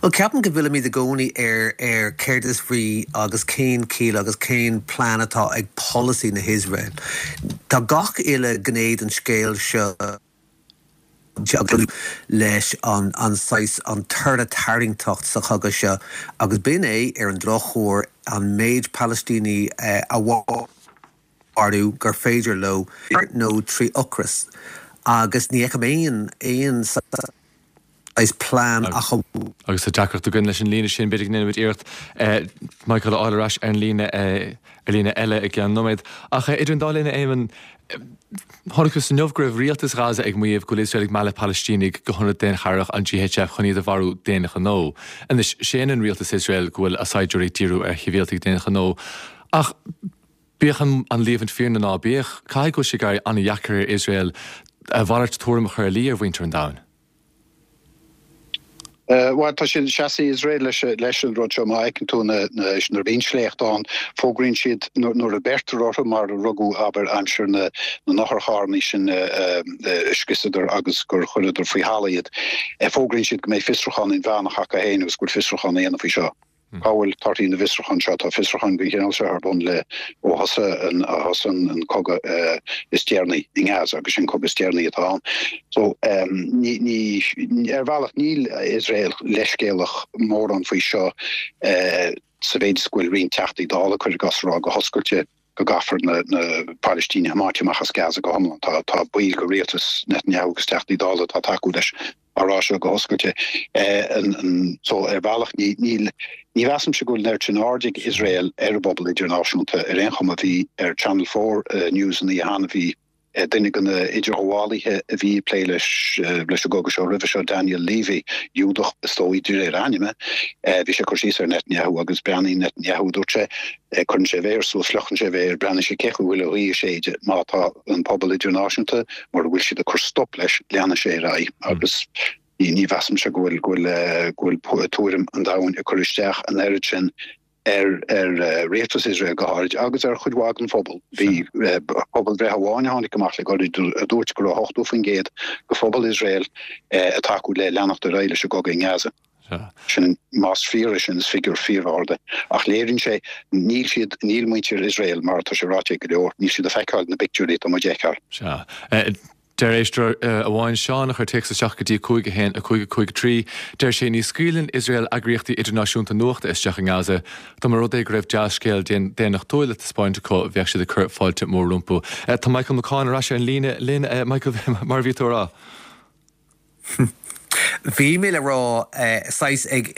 Bhuel, ceapaim go bhfillimid i gcónaí ar ar céard is brí agus cén ciall agus cén plean atá ag polasaí na hIosrael. Tá gach uile ghné den scéal seo leis an an saghas an toradh tarraingteacht sa chogadh seo agus b'in é, ar an drochuair, an méid Palaistínigh a mharú gur féidir leo nó trí ocras agus ní fheicim aon aon saghas plean ach amháin. Agus tá deacracht againn leis an líne sin, b'fhéidir go ndéanfaimid iarracht Michael a fháil ar ais ar an líne ar líne eile i gceann nóiméad. Ach idir an dá linn, a Éamonn, chonacthas inniu go raibh rialtas Ghaza ag maíomh go bhfuil Iosrael ag mealladh Palaistínigh go hionad daonchabhrach an GHF chun iad a mharú d'aon ghnó. Anois, séanann rialtas Iosrael go bhfuil a saighdiúirí ag díriú ar shibhialtaigh d'aon ghnó. Ach. Bíodh an líomhaint fíor nó ná bíodh, caithfidh go bhfuil sé ag éirí an-dheacair ar Iosrael a mhalairt tuairim a chur ina luí ar mhuintir an domhain. Bhuel, tá siad, seasfaidh Iosrael leis an rud seo. Má fheiceann tú na, nuair a bhíonn sléacht ann, fógraíonn siad nuair a beirtear orthu, mar a rugadh, abair, aimsir na n-otharcharranna sin a scriosadar agus gur chuireadar faoi thalamh iad, fógraíonn siad go mbeidh fiosrúchán inmheánach acu féin agus go bhfuil fiosrúchán á dhéanamh faoi seo. Cá bhfuil torthaí na bhfiosrúchán seo? Tá fiosrúcháin den chineál seo ar bun le ó thosaigh an thosaigh an cogadh is deireanaí i nGaza agus sin cogadh is deireanaí atá ann. So ní ní ar bhealach níl Iosrael leithscéalach mórán faoi seo sa mhéid is go bhfuil roinnt Teachtaí Dála cuir i gcás ag rá go hoscailte go gcaithfear na na Palaistínigh a thiomáint amach as Gaza go hiomlán. Tá tá baill de rialtas Netanyahu agus Teachtaí Dála atá ag tacú leis á rá seo go hoscailte. So ar bhealach ní níl ní mheasaimse go bhfuil an oiread sin aird ag Iosrael ar an bpobal idirnáisiúnta ar aon chuma. Bhí ar Channel 4 News an oíche cheana bhí duine de na idirghabhálaithe a bhí ag plé leis leis an gcogadh seo roimhe seo, Daniel Levy, Giúdach is dóigh de réir a ainme, bhí sé ag cur síos ar Netanyahu agus breathnaíonn Netanyahu, dúirt sé, Cuireann sé a mhéar suas, fliuchann sé a mhéar, breathnaíonn sé cé chaoi bhfuil an ghaoth ag séideadh. Má tá an pobal idirnáisiúnta, mura bhfuil siad ag cur stop leis, leanfaidh sé ar aghaidh agus ní mheasaimse go bhfuil, go bhfuil, go bhfuil tuairim an domhain ag cur isteach an oiread sin ar, ar rialtas Iosrael go háirid agus ar chuid mhaith den phobal. Bhí pobalbhreith amháin a tháinig amach le gairid a dúirt go raibh 80% de phobal Iosrael ag tacú le leanacht ar aghaidh leis an gcogadh i nGaza. Sin, más fíor é sin, is figiúr fíor-ard é. Ach léiríonn sé, níl siad, níl muintir Iosrael, mar atá sé ráite ag go leor, níl siad ag feiceáil na bpictiúirí atá muid a fheiceáil. Sea. Deir éisteoir amháin, Seán, a chuir téacs isteach go dtí 5 1 5 5 3, deir sé, Ní scaoileann Iosrael eagraíochtaí idirnáisiúnta nuachta isteach i nGaza. Dá mba rud é go raibh dea-scéal daonnachtúil le taispeáint acu, bheadh siad ag cur fáilte mór rompu. Tá Michael McCaughan ar ais ar an líne linn. Michael, mar a bhí tú a rá? Bhí mé le rá, saghas ag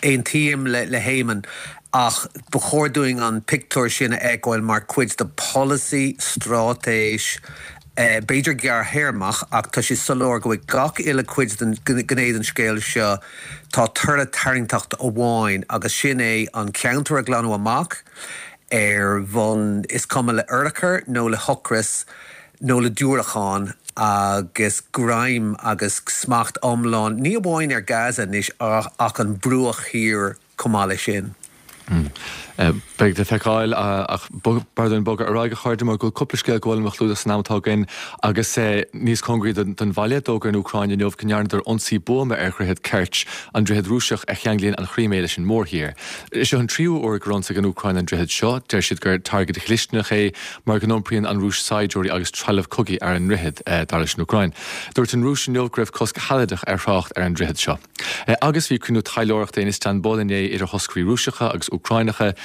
aontaím le hÉamonn ach ba chóir dúinn an pictiúr sin a fheiceáil mar cuid de polasaí, straitéis, b'fhéidir gearrthéarmach ach tá sé soiléir go bhfuil gach uile cuid den gné den scéal seo, tá toradh tarraingteacht amháin agus sin é an ceantar a ghlanadh amach ar bhonn is cuma le urchar nó le hocras. nó le diúracáin agus greim agus smacht iomlán, ní amháin ar Gaza anois ach an Bruach Thiar chomh maith leis sin. Beidh le feiceáil ach b'fhearr dúinn bogadh ar aghaidh, a chairde, mar go bhfuil cúpla scéal go bhfuil a chlúdach san am atá againn agus níos cóngaraí don bhaile, d'fhógair an Úcráin inniu go ndearnadar ionsaí buama ar dhroichead Kerch, an droichead Rúiseach a cheanglaíonn an Chrímé leis an mórthír. Seo an tríú huair gur ionsaigh an Úcráin an droichead seo. Deir siad gur targaid dhlisteanach é mar go n-iompraíonn an Rúis saighdiúirí agus trealamh cogaidh ar an ndroichead, dar leis an Úcráin. Dúirt an Rúis inniu go raibh cosc sealadach ar thrácht ar an droichead seo. Agus bhí cruinniú taidhleoireachta in Istanbul inné idir thoscairí Rúiseacha agus Úcráineacha.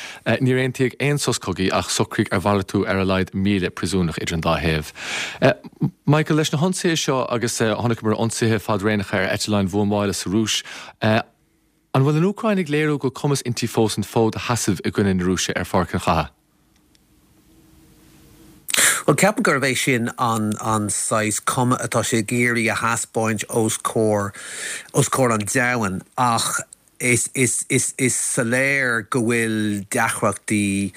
Níor aontaíodh aon sos cogaidh ach socraíodh ar mhalartú ar a laghad 1,000 príosúnach idir an dá thaobh. Michael, leis na hionsaithe seo agus chonaiceamar ionsaithe fadaraíocha ar eitleáin bhuamála sa Rúis, An bhfuil an Úcráin ag léiriú go bhfuil cumas inti fós an fód a sheasamh i gcoinne na Rúise ar pháirc an chatha? Bhuel, ceapaim gurb é sin an an saghas cuma atá sé ag iarraidh a thaispeáint os comhair os comhair an domhain ach is is is is soiléir go bhfuil deacrachtaí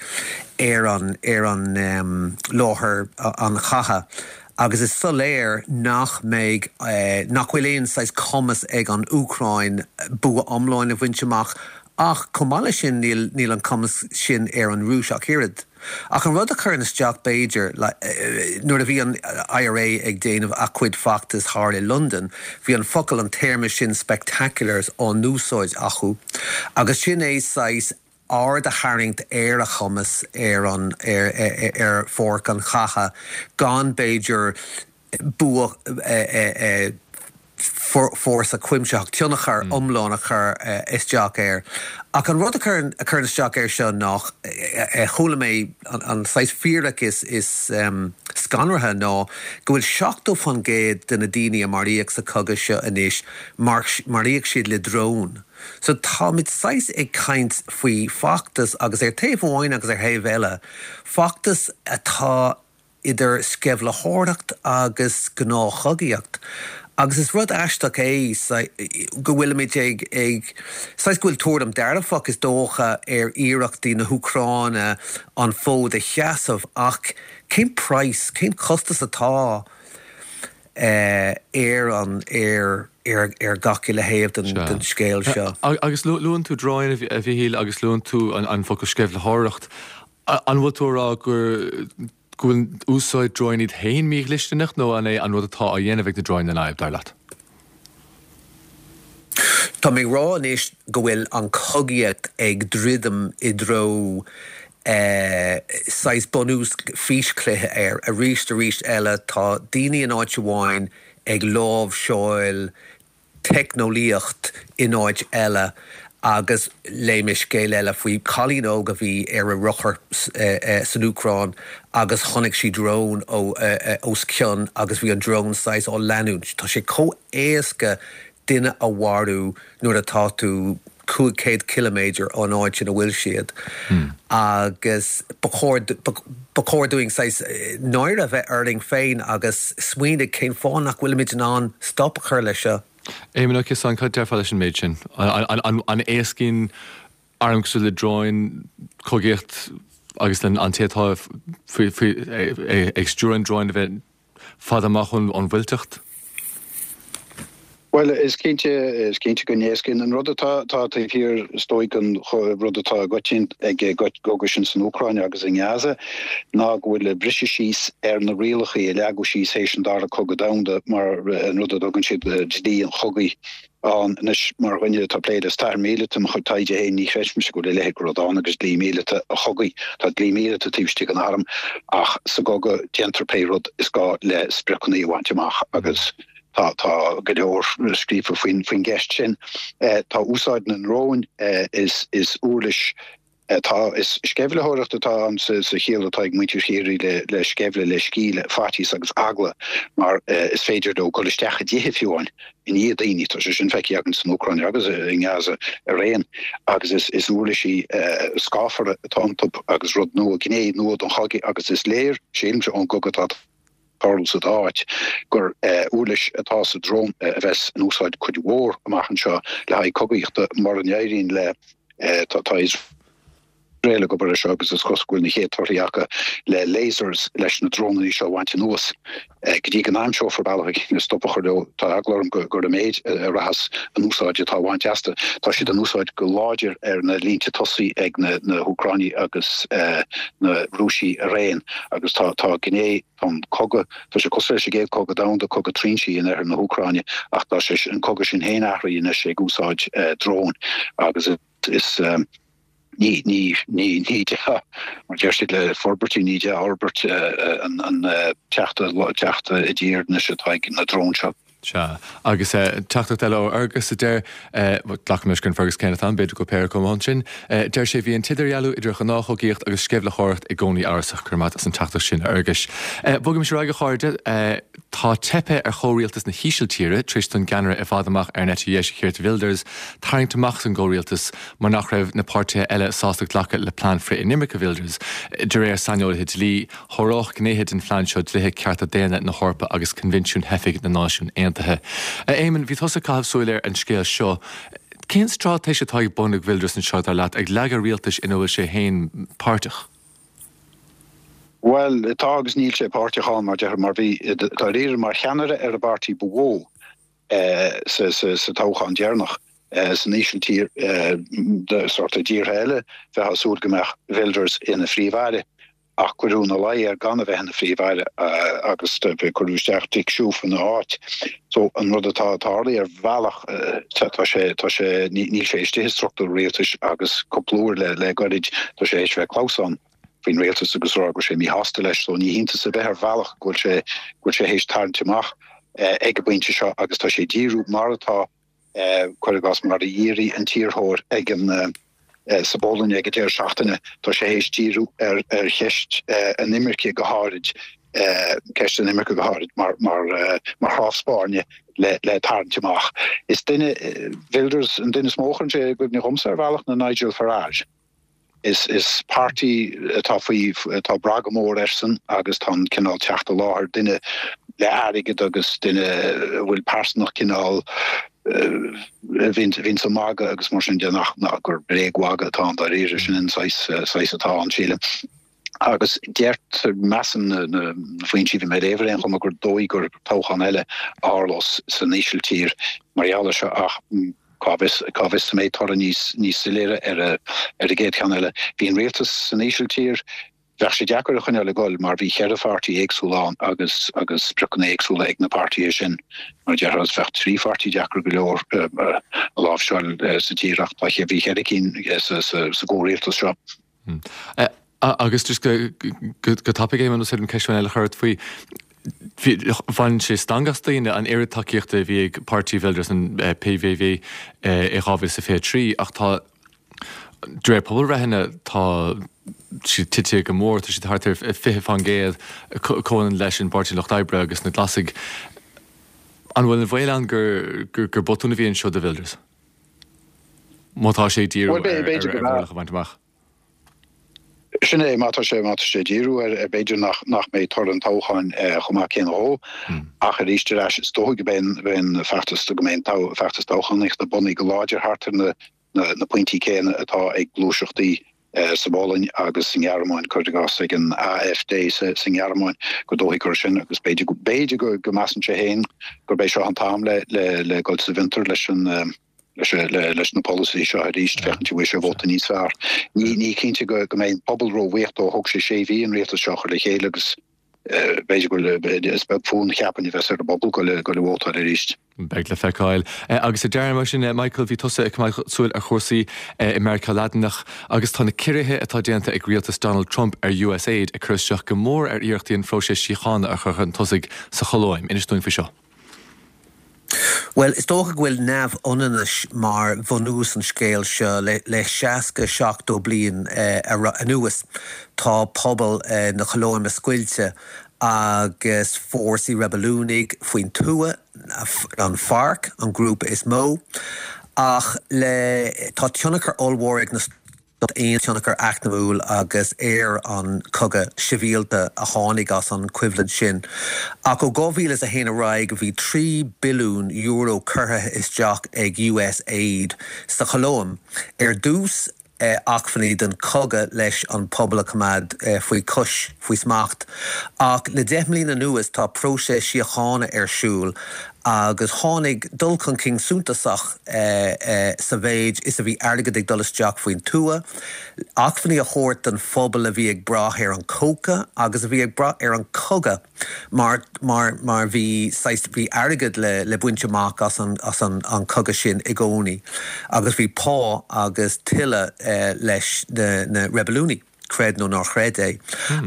ar an ar an láthair an chatha. Agus is soiléir nach mbeidh, nach bhfuil aon saghas cumas ag an Úcráin bua iomlán a bhaint amach ach chomh maith leis sin níl, níl an cumas sin ar an Rúis ach oiread. Ach an rud a chuireann isteach b'fhéidir, nuair a bhí an IRA ag déanamh a cuid feachtas thall i Londain, bhí an focal, an téarma sin spectaculars á n-úsáid acu agus sin é saghas, aird a tharraingt ar a chumas ar an ar pháirc an chatha gan b'fhéidir bua fórsa cuimsitheach, tionchar iomlán a chur isteach air. Ach an rud a chuireann isteach air seo ná, chuala mé an saghas fíric is scanraithe ná go bhfuil 70% de na daoine a maraíodh sa chogadh seo anois, maraíodh siad le drón. So táimid saghas ag caint faoi feachtas agus ar taobh amháin agus ar thaobh eile, feachtas atá idir sceimhlitheoireacht agus gnáthchogaíocht. Agus is rud aisteach é go bhfuilimid ag, ag, saghas go bhfuil tuairim dearfach is dócha ar iarrachtaí na hÚcráine an fód a sheasamh ach cén praghas, cén costas atá ar an, ar, ar, ar gach uile thaobh den, den scéal seo. Agus luann tú dróin, a Mhichíl, agus luann tú an focal sceimhlitheoireacht. An bhfuil tú ag rá gur, go bhfuil úsáid dróin iad féin mídhlisteanach nó an é an rud atá á dhéanamh ag na dróin an fhadhb, dar leat? Tá mé ag rá anois go bhfuil an chogaíocht ag druidim i dtreo saghas bunús físchluiche air. Arís arís eile tá daoine in áit amháin ag láimhseáil teicneolaíocht in áit eile agus léigh mé scéal eile faoi chailín óg a bhí ar a rothar san Úcráin agus chonaic sí drón os cionn agus bhí an drón saghas á leanúint. Tá sé chomh éasca duine a mharú nuair atá tú 500 ciliméadar ón áit ina bhfuil siad agus ba chóir ba chóir dúinn saghas náire a bheith orainn féin agus smaoineamh cén fáth nach bhfuilimid in ann stop a chur leis seo. Éamon Ó Ciosáin, cad déarfá leis an méid sin? An éascaíonn arm cosúil le dróin cogaíocht agus an té atá ag stiúradh an dróin a bheith fada amach ón bhfuilteacht? Bhuel, is cinnte, is cinnte go n-éascaíonn. An rud atá taobh thiar, is dóigh, den rud atá i gcoitinn ag an gcogadh sin san Úcráin agus i nGaza ná go bhfuil briseadh síos ar na rialacha a leagadh síos théis an Dara Cogadh Domhanda mar an rud a dtugann siad dlí an chogaidh. ann. Anois, mar dhuine atá ag plé le stair mhíleata i mo chuid taighde féin, ní chreidimse go bhfuil a leithéid de rud ann agus dlí míleata an chogaidh. Tá dlí míleata taobh istigh den arm, ach sa gcogadh déantar pé rud is gá le spriocanna a bhaint amach agus tá tá go leor scríofa faoin faoin gceist sin. Tá úsáid na ndrón is is uirlis Tá, is sceimhlitheoireacht atá ann sa chiall atá ag muintir Chiarraí le sceimhle, le sceimhle, faitíos agus eagla, mar is féidir leo dul isteach i dtithe fiú amháin i ndiaidh daoine. Tá sé sin feicthe againn san Úcráin agus i nGaza araon. Agus is uirlisí scáfara atá iontu agus rud nua, gné nua den chogadh agus is léir, sílimse, ón gcogadh atá tarlú sa dá áit, gur uirlis atá sa drón a bheas in úsáid cuid mhór amach anseo le haghaidh cogaíochta mura n-éiríonn le tá Iosrael ag obair air seo agus is cosúil go bhfuil na chéad torthaí acu le lasers leis na drónanna seo a bhaint anuas. Go dtí go n-aimseofar bealach éigin le stop a chur leo, tá eagla orm gur i méid a rachas an úsáid atá á bhaint astu. Tá siad in úsáid go láidir ar na línte tosaigh ag na hÚcráinigh agus na Rúisigh araon agus tá gné Tá an cogadh, tá sé cosúil leis an gcéad cogadh domhanda, cogadh trinsí in oirthear na hÚcráine, ach tá sé, an cogadh sin féin athraithe anois ag úsáid dróin agus is ní, ní, ní, ní dea, mar deir siad le forbairtí, ní dea-fhorbairt an teacht, teacht i dtír anois atá ag na dróin seo. Sea. Agus teachtaireacht eile ó Fhergus a deir, glacaim leis gur an Fergus céanna atá ann, b'fhéidir go bhfuil péire acu ansin, deir sé, Bhí an t-idirdhealú idir ghnáthchogaíocht agus sceimhlitheoireacht i gcónaí amhrasach. Go raibh maith agat as an teachtaireacht sin, a Fherguis. Bogaimis ar aghaidh, a chairde. Tá teipthe ar chomhrialtas na hÍsiltíre tar éis don gceannaire i bhfad amach ar an eite dheis, Geert Wilders, tarraingt amach as an gcomhrialtas mar nach raibh na páirtithe eile sásta glacadh le plean frith-inimirce Wilders. De réir saineolaithe dlí, Sháródh gnéithe den phlean seo dlíthe cearta daonna na hEorpa agus Coinbhinsiún Theifigh na Náisiún Aontaithe. A Éamoinn, bhí tusa ag caitheamh súil ar an scéal seo. Cén straitéis atá ar bun ag Wilders anseo, dar leat, ag leagadh rialtais ina bhfuil sé féin páirteach? Bhuel, tá agus níl sé páirteach ann, mar déarfá, mar bhí, dáiríre, mar cheannaire ar an bpáirtí ba mhó sa toghchán deireanach san Ísiltír, sórt i dtíortha eile, bheifeá ag súil go mbeadh Wilders ina phríomh-aire. Ach cuireadh ina luí air gan a bheith ina phríomh-aire agus cuireadh isteach Dick Schoof ina áit. So an rud atá tarlaithe ar bhealach, tá sé, tá sé, níl sé istigh i struchtúr rialtais agus cúpla uair le le goirid tá sé théis bheith ag clamhsán faoin rialtas agus rá go bhfuil sé míshásta leis. So ní hiontas ar bith ar bhealach go bhfuil sé, go bhfuil sé théis tarraingt amach ag an bpointe seo agus tá sé ag díriú mar atá cuir i gcás mar a dhírigh an t-iarrthóir ag an sa bPolainn ag an deireadh seachtaine, tá sé théis díriú ar ar cheist an imirce go háirid, ceist an imirce go háirid mar mar mar chnámh spairne le le tarraingt amach. Is duine Wilders an duine is mó a chuireann sé i gcuimhne dhomsa ar bhealach ná Nigel Farage. Is is páirtí atá faoi atá ag brath go mór airsean agus tá an cineál teacht i láthair duine. le airgead agus duine a bhfuil pearsanacht cineál a bhíonns ag magadh agus mar sin de nach gur bréagmhagadh atá ann dáiríre, sin an saghas atá ann sílim. Agus deirtear, measann na foinsí a bhí mé ag léamh ar aon chuma gur dóigh gur toghchán eile a tharlós san Ísiltír mar gheall air seo ach cá bhfios, cá bhfios an mbeidh toradh níos níos soiléire ar ar an gcéad cheann eile. Bhí an rialtas san Ísiltír, bheadh sé deacair a choinneáil ag dul mar bhí cheithre pháirtí éagsúla ann agus agus spriocanna éagsúla ag na páirtithe sin. Mar a déarfá, bheadh trí pháirtí deacair go leor a láimhseáil sa tír ach tá bhí cheithre cinn sa sa gcomhrialtas seo. Agus just go tapaidh, Éamonn, is féidir liom ceist amháin eile a chur ort faoi. Bhain sé stangadh as daoine an oiread tacaíochta a bhí ag páirtí Wilders, an PVV, i 2023 ach tá, de réir pobalbhreitheanna, tá siad tite go mór, tá siad thart ar 20%, comhionann leis an bPáirtí Lucht Oibre agus na Glasaigh. An bhfuil an baol ann gur botún a bhí anseo do Wilders? Má tá sé ag díriú ar mhionlach a bhaint amach. Sin é, má tá sé, má tá sé ag díriú air, b'fhéidir nach, nach mbeidh toradh an toghcháin chomh maith céanna dhó. Ach arís ar ais, is dóigh go mbeidh, beidh an feachtas, go mbeidh an feachtas toghchánaíochta bunaithe go láidir thart ar na, na, na pointí céanna atá ag gluaiseachtaí sa bPolainn agus sa nGearmáin, cuir i gcás ag an AfD sa, sa nGearmáin, gur dóichí gur sin agus b'fhéidir, b'fhéidir go, go measann sé féin gurb é seo an t-am le, le, le dul sa bhfiontar leis an, leis na polasaithe seo arís, féachaint an bhfaighidh sé vóta níos fearr. Ní cinnte go mbeidh an pobal róbhuíoch dó. Thóg sé sé mhí an rialtas seo a chur le chéile agus b'fhéidir go bhfuil, is beag fonn cheapfainn a bheas ar an bpobal dul ag vótáil arís. Beidh le feiceáil. Agus ar deireadh mar sin, Michael, bhí tusa ag coimeád súil ar chúrsaí i Meiriceá Laidineach agus tá na ciorruithe atá déanta ag rialtas Donald Trump ar USAID ag cur isteach go mór ar iarrachtaí an phróiseas síochána a chur chun tosaigh sa Cholóim. Inis dúinn faoi seo. Bhuel, is dócha go bhfuil neamhionannais mar bhunús an scéil seo. Le 60, 70 bliain anuas tá pobal na Colóime scoilte agus fórsaí reibiliúnaigh faoin tuath, an FARC, an grúpa is mó, ach le tá tionchar ollmhór ag na. Aon tionchar eacnamúil agus ar an cogadh sibhialta a tháinig as an choimhlint sin. Ach ó 2001 ar aghaidh bhí €3 billiún curtha isteach ag USAID sa Cholóim. Ar dtús acmhainní don chogadh leis an pobal a choimeád faoi chois, faoi smacht. Ach le 10 mbliana anuas tá próiseas síochána ar siúl agus tháinig dul chun cinn suntasach sa mhéid is a bhí airgead ag dul isteach faoin tuath, acmhainní a thabhairt don phobal a bhí ag brath ar an cóca agus a bhí ag brath ar an cogadh mar mar mar bhí saghas bhí airgead le le baint amach as an as an an cogadh sin i gcónaí agus bhí pá agus tuilleadh leis na na reibiliúnaigh. creid nó ná chreid é.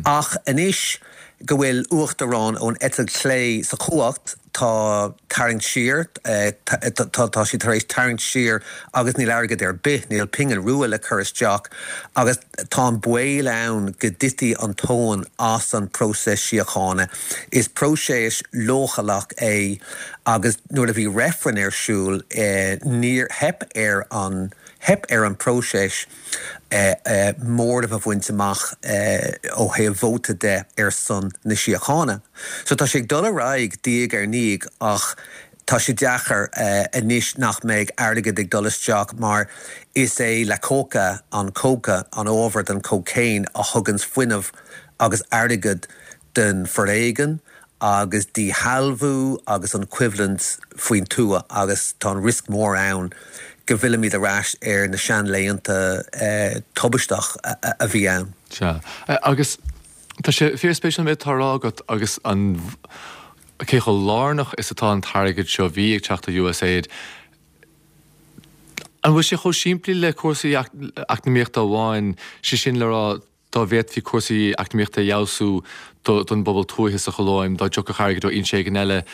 Ach anois go bhfuil uachtarán ón eite chlé sa chumhacht, tá tarraingt siar, tá siad tar éis tarraingt siar agus níl airgead ar bith, níl pingin rua le cur isteach agus tá an baol ann go dtitfidh an tóin as an bpróiseas síochána. Is próiseas leochaileach é agus nuair a bhí reifreann ar siúl níor, theip ar an, theip ar an bpróiseas. móramh a bhaint amach ó thaobh vóta de ar son na síochána. So tá sé ag dul ar aghaidh diaidh ar ndiaidh ach tá sé deacair anois nach mbeidh airgead ag dul isteach mar is é la coca, an cóca, an ábhar don cocaine a thuganns fuinneamh agus airgead don foréigean agus díshealbhú agus an choimhlint faoin tuath agus tá an riosca mór ann go bhfillfimid ar ais ar na seanlaethanta tubaisteach a bhí ann. Sea. Agus tá sé fíorspéisiúil an méid atá á rá agat agus an cé chomh lárnach is atá an t-airgead seo a bhí ag teacht ó USAID. An bhfuil sé chomh simplí le cúrsaí eacnamaíochta amháin, sé sin le rá, dá bhféadfaí cúrsaí eacnamaíochta a fheabhsú don bpobal tuaithe sa Cholóim, dá dtiocfadh airgead ó fhoinse éigin eile,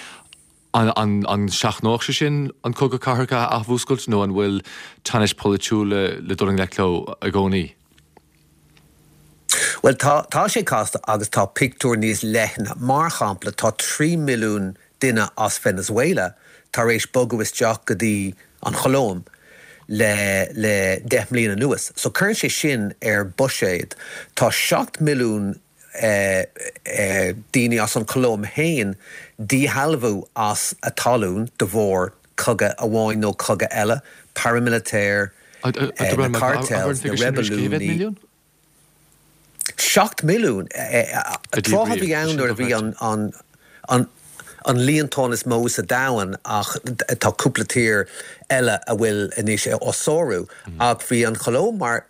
an seachnódh sé sin an cogadh cathartha a athmhúscailt nó an bhfuil teannais pholaitiúla le dul i ngleic leo i gcónaí? Bhuel, tá, tá sé casta agus tá pictiúr níos leithne. Mar shampla, tá 3 milliún duine as Venezuela tar éis bogadh isteach go dtí an Cholóim le le 10 mbliana anuas. So cuireann sé sin ar buiséad. Tá 7 milliún. daoine as an Cholóim féin díshealbhú as a talún de bharr cogadh amháin nó cogadh eile, paramilitaire, na cartels, na reibiliúnaí. 7 milliún! Tráth a bhí ann nuair a bhí an líontán is mó sa domhan ach tá cúpla tír eile a bhfuil anois á sárú. Ach bhí an Cholóim mar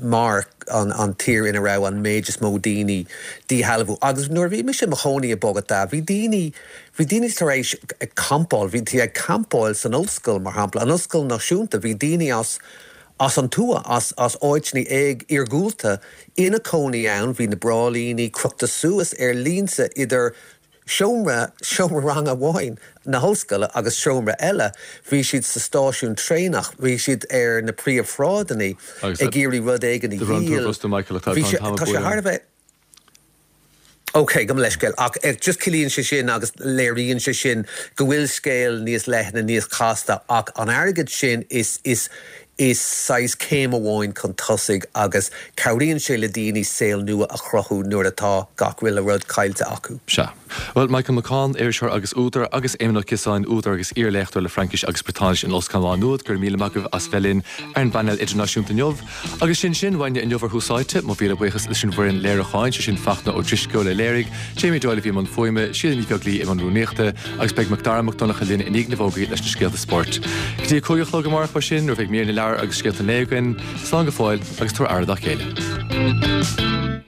mar an tír ina raibh an méid is mó daoine díshealbhú. Agus nuair a bhí mise i mo chónaí i Bogotá bhí daoine bhí daoine tar éis campáil, bhí ag campáil san ollscoil mar shampla, an ollscoil náisiúnta, bhí daoine as as an tuath, as as áiteanna éag iargúlta ina cónaí ann, bhí na bráillíní crochta suas ar línte idir seomra, seomra ranga amháin na hollscoile agus seomra eile, bhí siad sa stáisiún traenach, bhí siad ar na príomhshráideanna ag iarraidh rud éigin a dhíol, bhí sé, tá sé thar a bheith. Ok, gabh mo leithscéal, ach just ciallaíonn sé sin agus léiríonn sé sin go bhfuil scéal níos leithne, níos casta ach an airgead sin is, is, is saghas céim amháin chun tosaigh agus cabhraíonn sé le daoine saol nua a chruthú nuair atá gach uile rud caillte acu. Sea. Bhuel, Michael McCaughan, iriseoir agus údar, agus Éamon Ó Ciosáin, údar agus iar-léachtóir le Fraincis agus Briotáinis in Ollscoil Mhá Nuad, go raibh míle maith agaibh as bheith linn ar an bpainéal idirnáisiúnta inniu. Agus sin sin uainne inniu ar Thús Áite. Mo mhíle buíochas leis an bhfoireann léiriúcháin, sé sin Fachtna Ó Drisceoil a léirigh, Jamie Doyle a bhí i mbun fuaime, Síle Ní Bheaglaoi i mbun rúnaíochta, agus beidh Macdara Mac Donncha linn i ndiaidh na bhfógraí leis na scéalta spóirt. Go dtí a 5 a chlog amárach mar sin, nuair a bheidh mír na leabhar agus scéalta an lae againn, slán go fóill agus tabhair aire dá chéile.